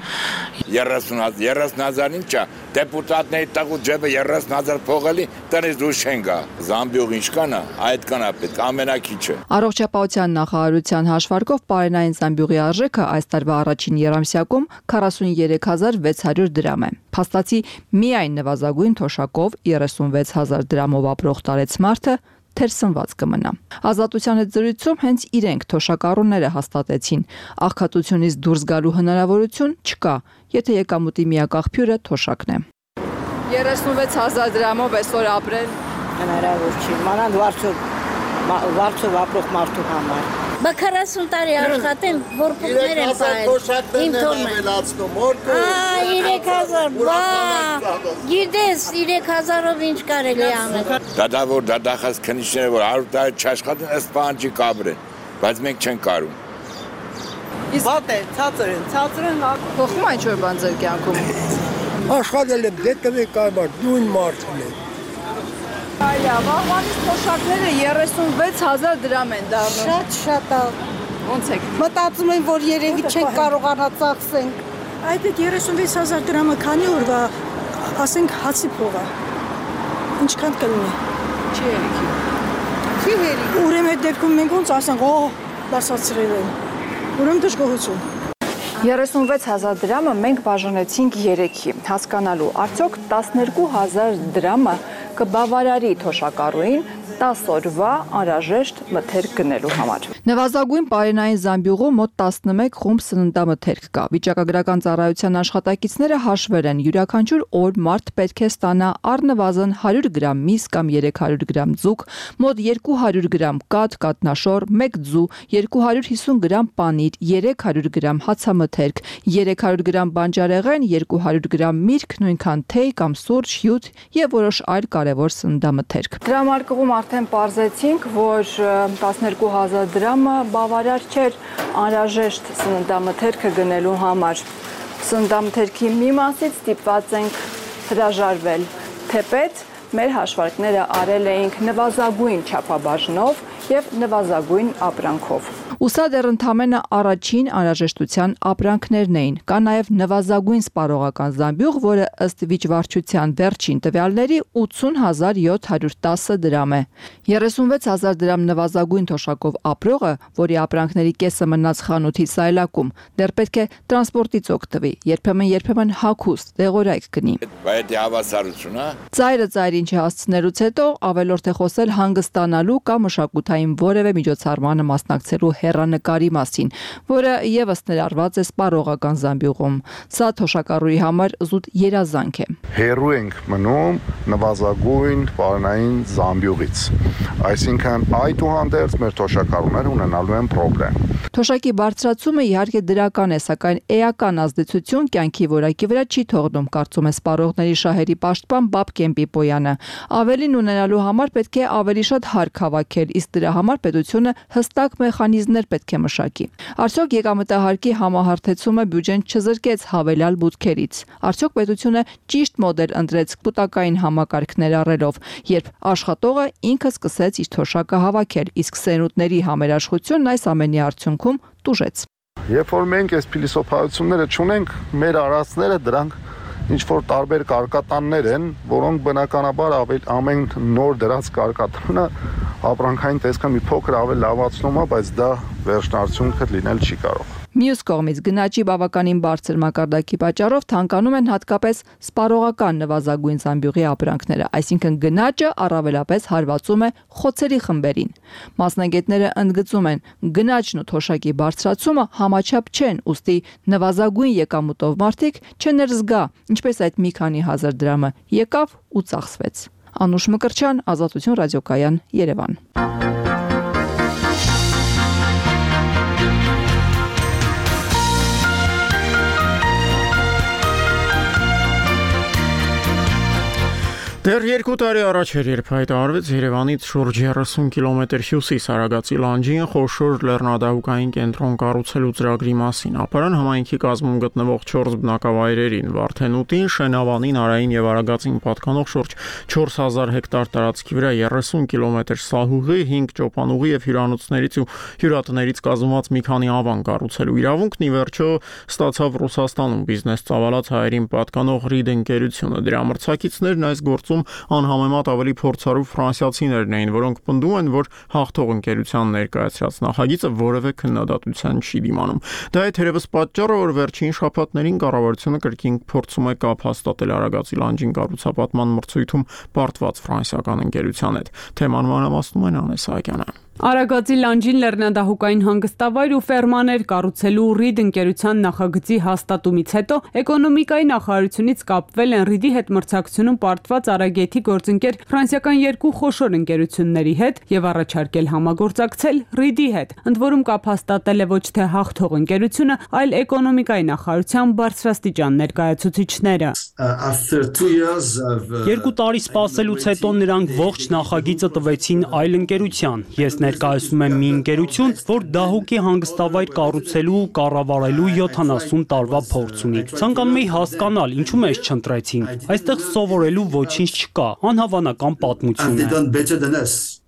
30,000-ին չէ, դեպուտատների տաղու ջեբը 30,000 փողելի տնից դուրս չեն գա։ Զամբյուղ ինչ կանա, այդ կանա պետք ամենակիչը։ Առողջապահության նախարարության հաշվարկով պարենային զամբյուղի արժեքը այս տարվա առաջին երամսյակում 43,600 դրամ է։ Փաստացի միայն նվազագույն թոշակով 36,000 դրամով ապրող տարեցմարդը թերսնված կմնա։ Ազատության հետ զրույցում հենց իրենք թոշակառուները հաստատեցին, աղքատությունից դուրս գալու հնարավորություն չկա, եթե եկամուտի միակ աղբյուրը թոշակն է։ 36,000 դրամով այսօր ապրել հնարավոր չի, մանավանդ վարձով ապրող մարդու համար։ Բա 40 տարի աշխատեմ, որպուկներ եմ պահել, իմ թորմեն։ 3,000, բա, գիտես, 3,000-ով ինչ կարելի անել։ Դադավոր դադախած քնիչները, որ 100 տարի չաշխատեն, ըստ պահանջի կաբրեն։ բայց մենք չենք կարում։ Իսկ ցածր են փոխում այն ինչ-որ բան ձեր կյանքում։ Աշխատել եմ դետվի կայմար նույն մարդն է։ Այո, վաղվանից թոշակները 36000 դրամ են դառնում։ Շատ է։ Ոնց եք։ Մտածում եմ, որ երևի չենք կարողանա ծախսենք։ Այդ 36000 դրամը քանի օրվա, ասենք հացի փող է։ Ինչքան կլինի։ Չի երիքի։ Չի երիքի։ Ուրեմն այդ դեպքում մենք ոնց ասենք, բացացրել են։ Ուրեմն դժգոհություն։ 36000 դրամը մենք բաժանեցինք 3-ի, հասկանալու, արդյոք 12000 դրամը կբավարարի թոշակառուին 10 օրվա անհրաժեշտ մթերք գնելու համար։ Նվազագույն պարենային Զամբյուղում մոտ 11 խումբ սննդամթերք կա։ Վիճակագրական ծառայության աշխատակիցները հաշվել են, յուրաքանչյուր օր մարդ պետք է ստանա առնվազն 100 գրամ միս կամ 300 գրամ ձուկ, մոտ 200 գրամ կաթ, կատնաշոր, 1 ձու, 250 գրամ պանիր, 300 գրամ հացամթերք, 300 գրամ բանջարեղեն, 200 գրամ միրգ, նույնքան թեյ կամ սուրճ, հյութ եւ որոշ այլ կարևոր սննդամթերք։ Դրամարկղում արդեն պարզեցինք, որ 12000 դրամը բավարար չէր անհրաժեշտ սննդամթերքը գնելու համար։ Սննդամթերքի մի մասից ստիպված ենք հրաժարվել, թեպետ մեր հաշվարկները արել էինք նվազագույն չափաբաժնով եւ նվազագույն ապրանքով։ Ու սա դեռ ընդամենը առաջին անհրաժեշտության ապրանքներն էին։ Կա նաև նվազագույն սպառողական Զամբյուղ, որը ըստ վիճվարչության վերջին տվյալների 80710 դրամ է։ 36000 դրամ նվազագույն թոշակով ապրողը, որի ապրանքների կեսը մնաց խանութի սայլակում, դեռ պետք է տրանսպորտից օգտվի, երբեմն հագուստ, դեղորայք գնի։ Բայց հավասարություն, հա։ Ծայրին չհասցնելուց հետո ավելորդ է խոսել հանգստանալու կամ մշակութային որևէ միջոցառմանը մասնակցելու հեռանկարի մասին, որը եւս ներառված է սպառողական Զամբյուղում։ Սա թոշակառուի համար զուտ երազանք է։ Հեռու ենք մնում նվազագույն պարենային Զամբյուղից։ Այսինքն այդուհանդերձ մեր թոշակառուները ունենալու են խնդրեմ։ Թոշակի բարձրացումը իհարկե դրական է, սակայն էական ազդեցություն կյանքի որակի վրա չի թողնում, կարծում է սպառողների շահերի պաշտպան Բաբկեն Պիպոյանը։ Ավելին ունենալու համար պետք է ավելի շատ հարկ հավաքել, իսկ դրա համար պետությունը հստակ մեխանիզմներ պետք է մշակի։ Արդյոք եկամտահարկի համահարթեցումը բյուջեն չզրկեց հավելյալ բուտքերից։ Արդյոք պետությունը ճիշտ մոդել ընտրեց կուտակային համակարգներ առելով, երբ աշխատողը ինքը սկսեց իր թոշակը հավաքել, իսկ սերունդների համերաշխությունն այս ամենի արդյունքում տուժեց։ Երբ որ մենք այս փիլիսոփայությունները չունենք, մեր արածները դրանք ինչ որ տարբեր կարկատաններ են, որոնք բնականաբար ամեն նոր դրած կարկատանը ապրանքային տեսքը մի փոքր ավելի լավացնում է, բայց դա վերջնարդյունքը լինել չի կարող։ Մյուս կողմից գնաճի բավականին բարձր մակարդակի պատճառով թանկանում են հատկապես սպառողական նվազագույն Զամբյուղի ապրանքները, այսինքն գնաճը առավելապես հարվածում է խոցերի խմբերին։ Մասնագետները ընդգծում են, գնաճն ու թոշակի բարձրացումը համաչափ չեն, ուստի նվազագույն եկամուտով մարդիկ չներզգա, ինչպես այդ մի քանի հազար դրամը եկավ ու ծախսվեց։ Անուշ Մկրտչյան, Ազատություն ռադիոկայան, Երևան։ Դեռ 2 տարի առաջ էր, երբ հայտարարվեց Երևանից շուրջ 30 կիլոմետր հյուսիս Արագածի լանջին խոշոր լեռնադահուկային կենտրոն կառուցելու ծրագրի մասին։ Ապարան համայնքի կազմում գտնվող 4 բնակավայրերին՝ Վարդենուտին, Շենավանին, Արային եւ Արագածին պատկանող շուրջ 4000 հեկտար տարածքի վրա 30 կիլոմետր սահուղի, 5 ճոպանուղի եւ հյուրանոցներից ու հյուրատներից կազմված մի քանի ավան կառուցելու իրավունքն ի վերջո ստացավ Ռուսաստանում բիզնես ծավալած հայերին պատկանող Ռիդ ընկերությունը։ Դրա մրցակիցներն այս գործում անհամեմատ ավելի փորձառու ֆրանսիացիներն էին, որոնք պնդում են, որ հաղթող ընկերության ներկայացրած նախագիծը որևէ քննադատության չի դիմանում։ Դա է թերևս պատճառը, որ վերջին շաբաթներին կառավարությունը կրկին փորձում է կապ հաստատել Արագածի լանջին կառուցապատման մրցույթում պարտված ֆրանսիական ընկերության հետ։ Թեման մանրամասնում է Անե Սահակյանը։ Արագածի լանջին լեռնադահուկային հանգստավայր ու ֆերմաներ կառուցելու Ռիդ ընկերության նախագծի հաստատումից հետո էկոնոմիկայի նախարարությունից կապվել են Ռիդի հետ մրցակցությունում պարտված Արագեթի գործընկեր ֆրանսիական 2 խոշոր ընկերությունների հետ եւ առաջարկել համագործակցել Ռիդի հետ։ Ընդ որում կապ հաստատել է ոչ թե հաղթող ընկերությունը, այլ էկոնոմիկայի նախարարության բարձրաստիճան ներկայացուցիչները։ 2 տարի սպասելուց հետո նրանք ողջ նախագիծը տվեցին այլ ընկերության։ Ես ներկայացնում եմ մի ընկերություն, որ դահուկի հանգստավայր կառուցելու ու կառավարելու 70 տարվա փորձ ունի։ Ցանկանում էի հասկանալ, ինչու մեզ չընտրեցին։ Այստեղ սովորելու ոչինչ չկա, անհավանական պատմություն է։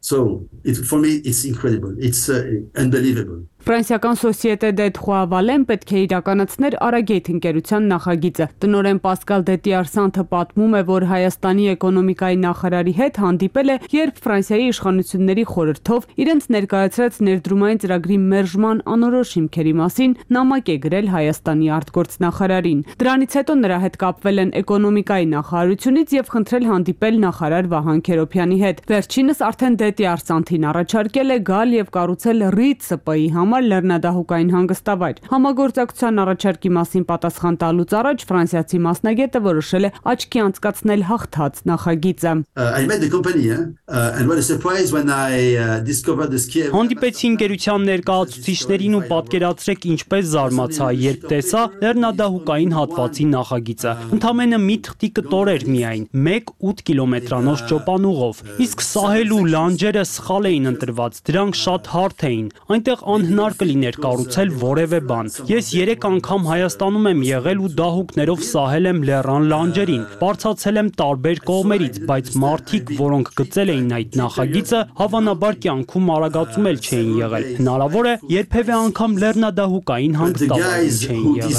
So for me it's incredible. It's unbelievable. Ֆրանսիական Société des Trois Vallées պետք է իրականացներ Արագեյթ ընկերության նախագիծը։ Տնօրեն Պասկալ Դետիարսանթը պատմում է, որ Հայաստանի էկոնոմիկայի նախարարի հետ հանդիպել է, երբ Ֆրանսիայի իշխանությունների խորհրդով իրենց ներկայացրած ներդրումային ծրագրի մերժման անորոշ հիմքերի մասին նամակ է գրել Հայաստանի արտգործնախարարին։ Դրանից հետո նրա հետ կապվել են էկոնոմիկայի նախարարությունից եւ խնդրել հանդիպել նախարար Վահան Քերոբյանի հետ։ Վերջինս արդեն Դետիարսանթին առաջարկել է գալ եւ կառուցել ՌԻՏՍՊ-ի համար լեռնադահուկային հանգստավայր։ Համագործակցության առաջարկի մասին պատասխան տալուց առաջ ֆրանսիացի մասնագետը որոշել է աչքի անցկացնել հաղթած նախագիծը։ Հանդիպեցի ընկերության ներկայացուցիչներին ու պատկերացրեք ինչպես զարմացա, երբ տեսա լեռնադահուկային հատվածի նախագիծը։ Ընդամենը մի թղթի կտոր էր միայն, 1-8 կիլոմետրանոց ճոպանուղով։ Իսկ սահելու լանջերը սխալ էին ընտրված, դրանք շատ հարթ էին։ Այնտեղ անհնար կլիներ կառուցել որևէ բան։ Ես 3 անգամ Հայաստանում եմ եղել ու դահուկներով սահել եմ լեռան լանջերին, բարձրացել եմ տարբեր կողմերից, բայց մարդիկ, որոնք գծել էին այդ նախագիծը, հավանաբար կյանքում արագացում էլ չէին եղել։ Հնարավոր է, երբևէ անգամ լեռնադահուկային հանգստավայր չէին եղել։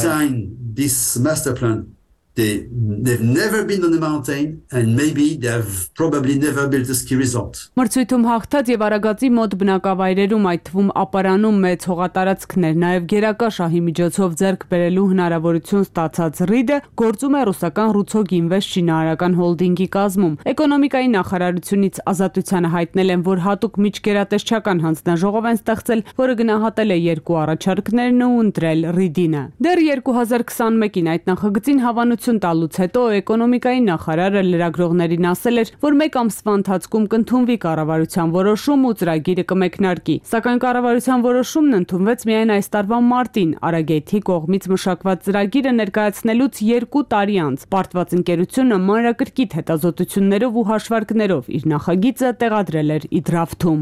They've never been on the mountain and maybe they've probably never built a ski resort. Մրցույթում հաղթած եւ Արագածի մոտ բնակավայրերում, այդ թվում ապարանում մեծ հողատարածքներ, նաեւ գերակա շահի միջոցով ձեռք բերելու հնարավորություն ստացած ՌԻԴ-ը գործում է ռուսական Ռուցոգ Ինվեստ շինարարական հոլդինգի կազմում։ Էկոնոմիկայի նախարարությունից Ազատությանը հայտնել են, որ հատուկ միջգերատեսչական հանձնաժողով են ստեղծել, որը գնահատել է երկու առաջարկներն ու ընտրել ՌԻԴ-ը։ Դեռ 2021-ին այդ նախագծին հավանություն տալուց հետո էկոնոմիկայի նախարարը լրագրողներին ասել էր, որ 1 ամսվա ընթացքում կընդունվի կառավարության որոշում ու ծրագիրը կմեկնարկի։ Սակայն կառավարության որոշումն ընդունվեց միայն այս տարվա մարտին, Արագեյթի կողմից մշակված ծրագիրը ներկայացնելուց 2 տարի անց։ Պարտված ընկերությունը մանրակրկիտ հետազոտություններով ու հաշվարկներով իր նախագիծը տեղադրել էր իդրաֆթում։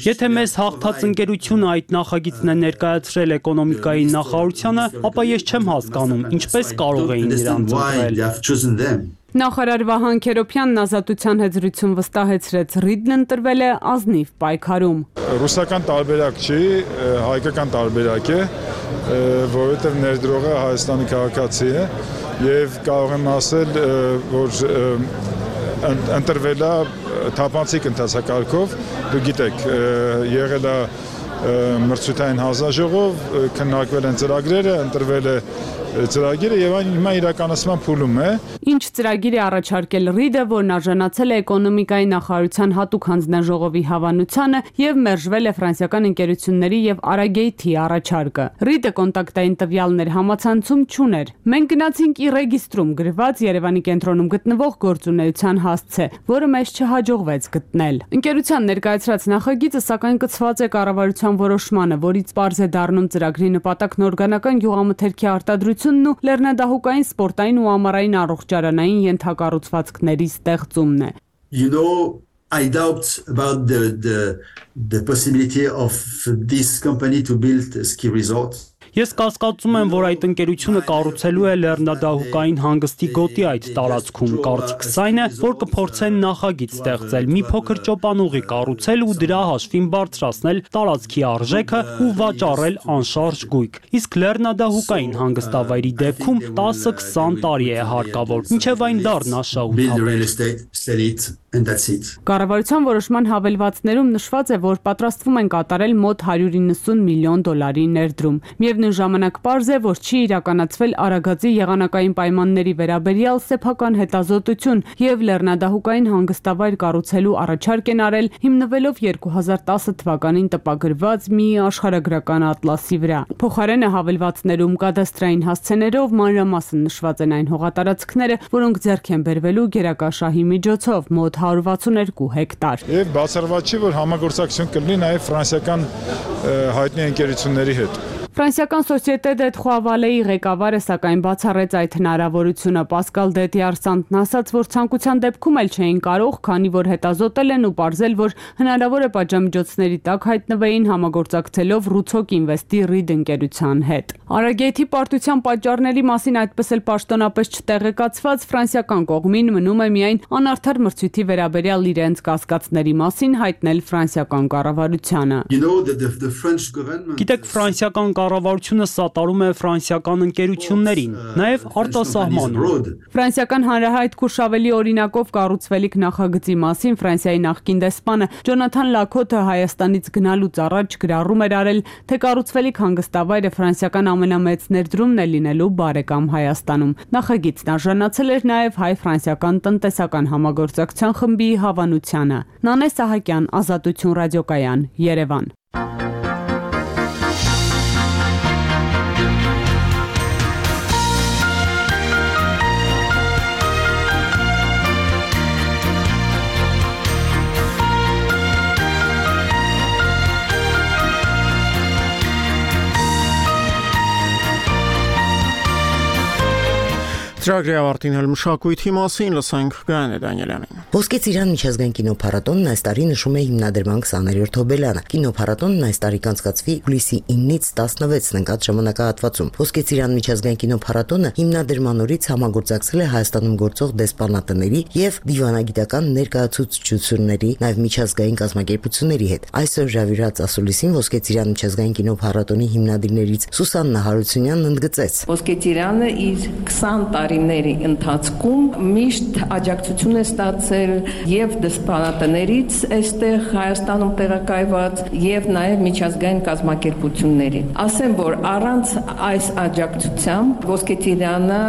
Եթե մեզ հաղթած ընկերությունը այդ նախագիծն է ներկայացրել էկոնոմիկայի նախարարությանը, ապա ես չեմ հասկանում, ինչպես կարող էին նրանց ընտրել։ Նախարար Վահան Քերոբյանն Ազատության հետ զրույցում վստահեցրեց, ՌԻԴ-ն ընտրվել է ազնիվ պայքարում։ Ռուսական տարբերակ չի, հայկական տարբերակ է, որովհետև ներդրողը Հայաստանի քաղաքացի է եւ կարող եմ ասել, որ ընտրվել է թափանցիկ ընթացակարգով, դու գիտեք, եղել է մրցութային հանձնաժողով, քննարկվել են ծրագրերը, ընտրվել է ծրագիրը եւ այն հիմա իրականացման փուլում է։ Ինչ ծրագիր է առաջարկել ՌԻԴ-ը, որն արժանացել է էկոնոմիկայի նախարարության հատուկ հանձնաժողովի հավանությանը եւ մերժվել է ֆրանսիական ընկերությունների եւ Արագեյթի առաջարկը։ ՌԻԴ-ը կոնտակտային տվյալներ համացանցում չուներ։ Մենք գնացինք իռեգիստրում գրված Երևանի կենտրոնում գտնվող գործունեության հասցե, որը մեզ չհաջողվեց գտնել։ Ընկերության ներկայացրած նախագիծը սակայն կցված է կառավարության որոշմանը, որից պարզ է դառնում ծրագրի նպատակն օրգանական գյուղամթերքի արտադրություն ու լեռնադահուկային սպորտային ու ամառային առողջարանային ենթակառուցվածքների ստեղծումն է։ You know, I doubt about the possibility of this company to build a ski resort. Ես կասկածում եմ, որ այդ ընկերությունը կառուցելու է լեռնադահուկային հանգստի գոտի այդ տարածքում։ Կարծիքս այն է, որ կփորձեն նախագիծ ստեղծել, մի փոքր ճոպանուղի կառուցել ու դրա հաշվին բարձրացնել տարածքի արժեքը ու վաճառել անշարժ գույք։ Իսկ լեռնադահուկային հանգստավայրի դեպքում 10-20 տարի է հարկավոր, մինչև այն դառնա շահութաբեր։ Կառավարության որոշման հավելվածներում նշված է, որ պատրաստվում են կատարել մոտ $190 միլիոն ներդրում։ Միևնույն ժամանակ պարզ է, որ չի իրականացվել Արագածի եղանակային պայմանների վերաբերյալ սեփական հետազոտություն եւ լեռնադահուկային հանգստավայր կառուցելու առաջարկ են արել հիմնվելով 2010 թվականին տպագրված մի աշխարհագրական ատլասի վրա։ Փոխարենը հավելվածներում կադաստրային հասցեներով մանրամասն նշված են այն հողատարածքները, որոնք ձեռք են բերվելու գերակա շահի միջոցով մոտ 162 հեկտար։ Եվ բացառված չի, որ համագործակցություն կլինի նաև ֆրանսիական հայտնի ընկերությունների հետ։ Ֆրանսիական Société de Trois Vallées-ի ղեկավարը սակայն բացառեց այդ հնարավորությունը։ Պասկալ Դետիարսանտն ասաց, որ ցանկության դեպքում էլ չէին կարող, քանի որ հետազոտել են ու պարզել, որ հնարավոր է պատժամիջոցների տակ հայտնվեին համագործակցելով Rutsok Invest-ի Reed ընկերության հետ։ Արագեթի պարտության պատճառների մասին այդպես էլ պաշտոնապես չտեղեկացված ֆրանսիական կողմին մնում է միայն անարդար մրցույթի վերաբերյալ իրենց կասկածների մասին հայտնել ֆրանսիական կառավարությանը։ Գիտեք, ֆրանսիական կառավարությունը սատարում է ֆրանսիական ընկերություններին, նաև արտասահմանում։ Ֆրանսիական հանրահայտ Քուրշավելի օրինակով կառուցվելիք նախագծի մասին Ֆրանսիայի նախկին դեսպանը Ջոնաթան Լաքոթը Հայաստանից գնալուց առաջ գրառում էր արել, թե կառուցվելիք հանգստավայրը ֆրանսիական ամենամեծ ներդրումն է լինելու բարեկամ Հայաստանում։ Նախագիծն արժանացել էր նաև հայ-ֆրանսիական տնտեսական համագործակցության խմբի հավանությանը։ Նանե Սահակյան, Ազատություն ռադիոկայան, Երևան։ Ծրագրի ավարտին հել մշակույթի մասին լսենք Գայանե Դանիելյանին։ Ոսկե Ծիրան միջազգային կինոփառատոնն այս տարի նշում է հիմնադրման 20-րդ հոբելյանը։ Կինոփառատոնն այս տարի կանցկացվի հուլիսի 9-ից 16-ն ընկած ժամանակահատվածում։ Ոսկե Ծիրան միջազգային կինոփառատոնը հիմնադրման օրից համագործակցել է Հայաստանում գործող դեսպանատների եւ դիվանագիտական ներկայացուցչությունների, նաեւ միջազգային կազմակերպությունների հետ։ Այսօր Ժավիրած ասուլիսին Ոսկե Ծիրան միջազգային կինոփառատոնի հիմնադիրներից Սուսաննա Հարությունյանն ընդգծեց. Ոսկե Ծիրանը իր 20 տարիների ընթացքում միշտ աջակցություն է ստացել եւ դեսպանատներից այստեղ Հայաստանում տեղակայված եւ նաեւ միջազգային կազմակերպությունների։ Ասեմ, որ առանց այս աջակցությամբ Ոսկե Ծիրանը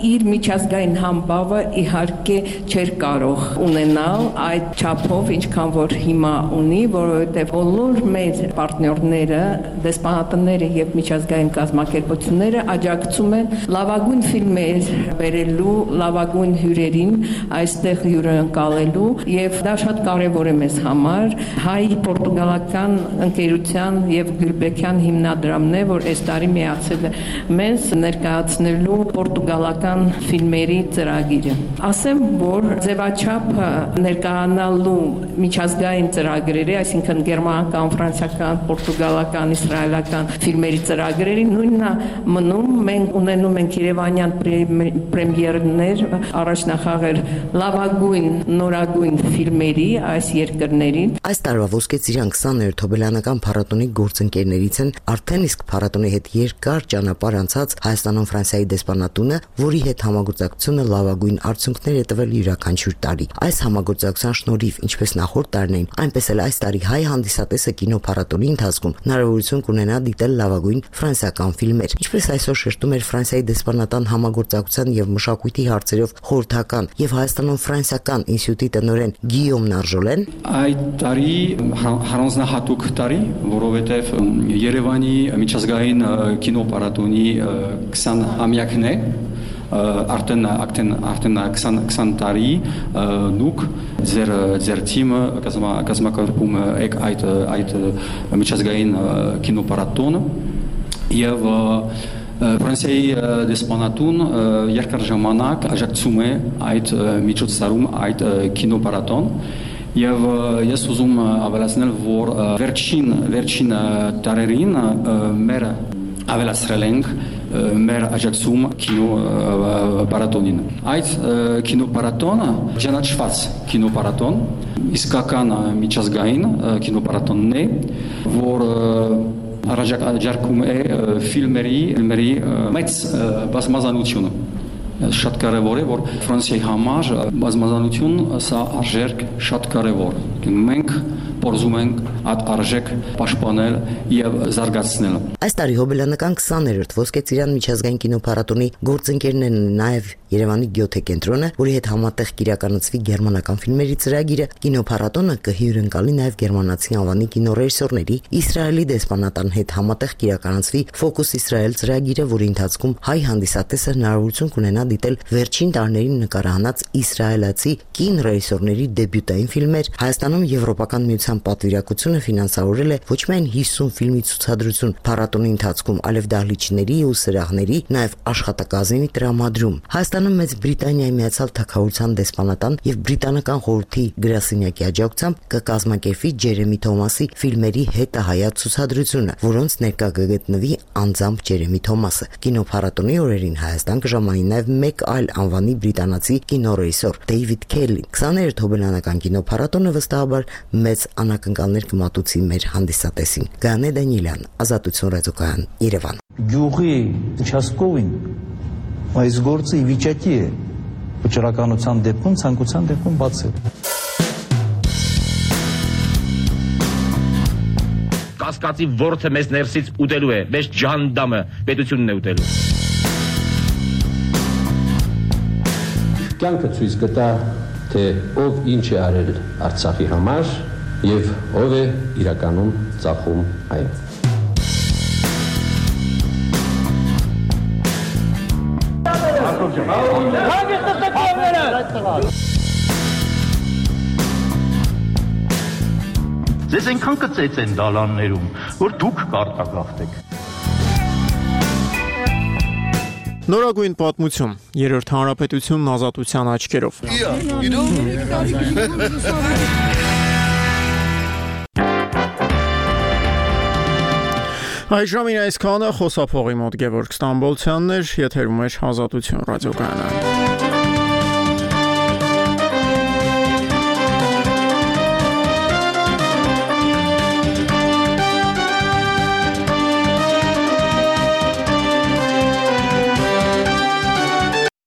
իր միջազգային համբավը իհարկե չէր կարող ունենալ այդ չափով, ինչքան որ հիմա ունի, որովհետեւ բոլոր մեր պարտներները, դեսպանատները եւ միջազգային կազմակերպությունները աջակցում են լավագույն ֆիլմեր վերելու, լավագույն հյուրերին այստեղ հյուրընկալելու եւ դա շատ կարեւոր է մեզ համար։ Հայ-պորտուգալական ընկերության եւ Գյուլբեկյան հիմնադրամն է, որ այս տարի միացել է մեզ ներկայացնելու պորտուգալական ֆիլմերի ծրագիրը։ Ասեմ, որ ձևաչափը ներկայանալու միջազգային ծրագրերի, այսինքն գերմանական, ֆրանսիական, պորտուգալական, իսրայելական ֆիլմերի ծրագրերի նույնն է մնում։ Մենք ունենում ենք Երևանյան պրեմիերներ, առաջնախաղեր լավագույն, նորագույն ֆիլմերի այս երկրներին։ Այս տարվա Ոսկե Ծիրան 20-րդ հոբելյանական փառատոնի գործընկերներից են արդեն իսկ փառատոնի հետ երկար ճանապարհ անցած Հայաստանում Ֆրանսիայի դեսպանատունը, որի հետ համագործակցությունը լավագույն արդյունքներ է տվել յուրաքանչյուր տարի։ Այս համագործակցության շնորհիվ, ինչպես նախորդ տարիներին, այնպես էլ այս տարի հայ հանդիսատեսը կինոփառատոնի ընթացքում հնարավորություն կունենա դիտել լավագույն ֆրանսիական ֆիլմեր։ Ինչպես այսօր շեշտում էր Ֆրանսիայի դեսպանատան համագործակցության եւ մշակույթի հարցերով խորհրդական եւ Հայաստանում ֆրանսիական ինստիտուտի տնօրեն Գիյոմ Նարժոլեն, այդ տարի առանձնահատուկ տարի, որովհետեւ Երևանի միջազգային կինոփառատոնի 20-ամյակն է, արդեն 20 տարի դուք ձեր թիմը կազմակերպում եք այդ միջազգային կինոփառատոնը եւ Ֆրանսիայի դեսպանատուն երկար ժամանակ աջակցում է այդ միջոցառում, այդ կինոփառատոն եւ ես ուզում ավելացնել, որ վերջին տարերին մեր ավելացրել ենք մեր աջակցում կինոփառատոնին։ Այդ կինոփառատոնը ճանաչված կինոփառատոն, իսկական միջազգային կինոփառատոնն է, որ առաջարկում է ֆիլմերի մեծ բազմազանությունը։ Շատ կարևոր է, որ Ֆրանսիայի համար բազմազանություն սա արժեք շատ կարևոր։ Մենք փորձում ենք այդ արժեք պաշտպանել եւ զարգացնել։ Այս տարի հոբելյանական 20-րդ Ոսկե Ծիրան միջազգային կինոփառատոնի գործընկերներն են նաեւ Երևանի Գյոթե կենտրոնը, որի հետ համատեղ կիրականացվի գերմանական ֆիլմերի ծրագիրը։ Կինոփառատոնը կհյուրընկալի նաեւ գերմանացի անվանի կինոռեժիսորների, Իսրայելի դեսպանատան հետ համատեղ կիրականացվի Focus Israel ծրագիրը, որի ընթացքում հայ հանդիսատեսը հնարավորություն կունենա դիտել վերջին տարիներին նկարահանած իսրայելացի կինոռեժիսորների դեբյուտային ֆիլմեր, Հայաստանում Եվրոպական միության ազատության պատվիրակությունը ֆինանսավորել է ոչ միայն 50 ֆիլմի ցուցադրություն փառատոնի ընթացքում, այլև դահլիճների ու սրահների, նաև աշխատակազմի տրամադրում։ Հայաստանում Մեծ Բրիտանիայի Միացյալ Թագավորության դեսպանատան եւ Բրիտանական խորհրդի գրասենյակի աջակցությամբ կկազմակերպվի Ջերեմի Թոմասի ֆիլմերի հետահայաց ցուցադրությունը, որոնց ներկա կգտնվի անձամբ Ջերեմի Թոմասը։ Կինոփառատոնի օրերին Հայաստան կժամանի նաև մեկ այլ անվանի բրիտանացի կինոռեժիսոր Դեյվիդ Քելին։ 23 հոբելյանական կինոփառատոնը վստահաբար մեծ անակնկալներ կմատուցի մեր հանդիսատեսին։ Գանե Դանիելյան, Ազատություն ռադիոկայան, Երևան։ Գյուղի участковին այս գործը ի վիճակի է վճռականության դեպքում, ցանկության դեպքում բացել։ Կասկածի ворթը մեզ ներսից ուտելու է, մեզ ջանդամը պետությունն է ուտելու։ Կյանքը ցույց կտա, թե ով ինչ է արել Արցախի համար եւ ով է իրականում ծախում այն։ Ձեզ այնքան կծեց են դալաններում, որ դուք կարտագաղթեք։ Նորագույն պատմություն, երրորդ հանրապետությունն ազատության աչքերով։ Այժմին այսքանը խոսափողի մոտ Գևորգ Ստամբոլցյանն էր, եթերում էր Ազատություն ռադիոկայանը։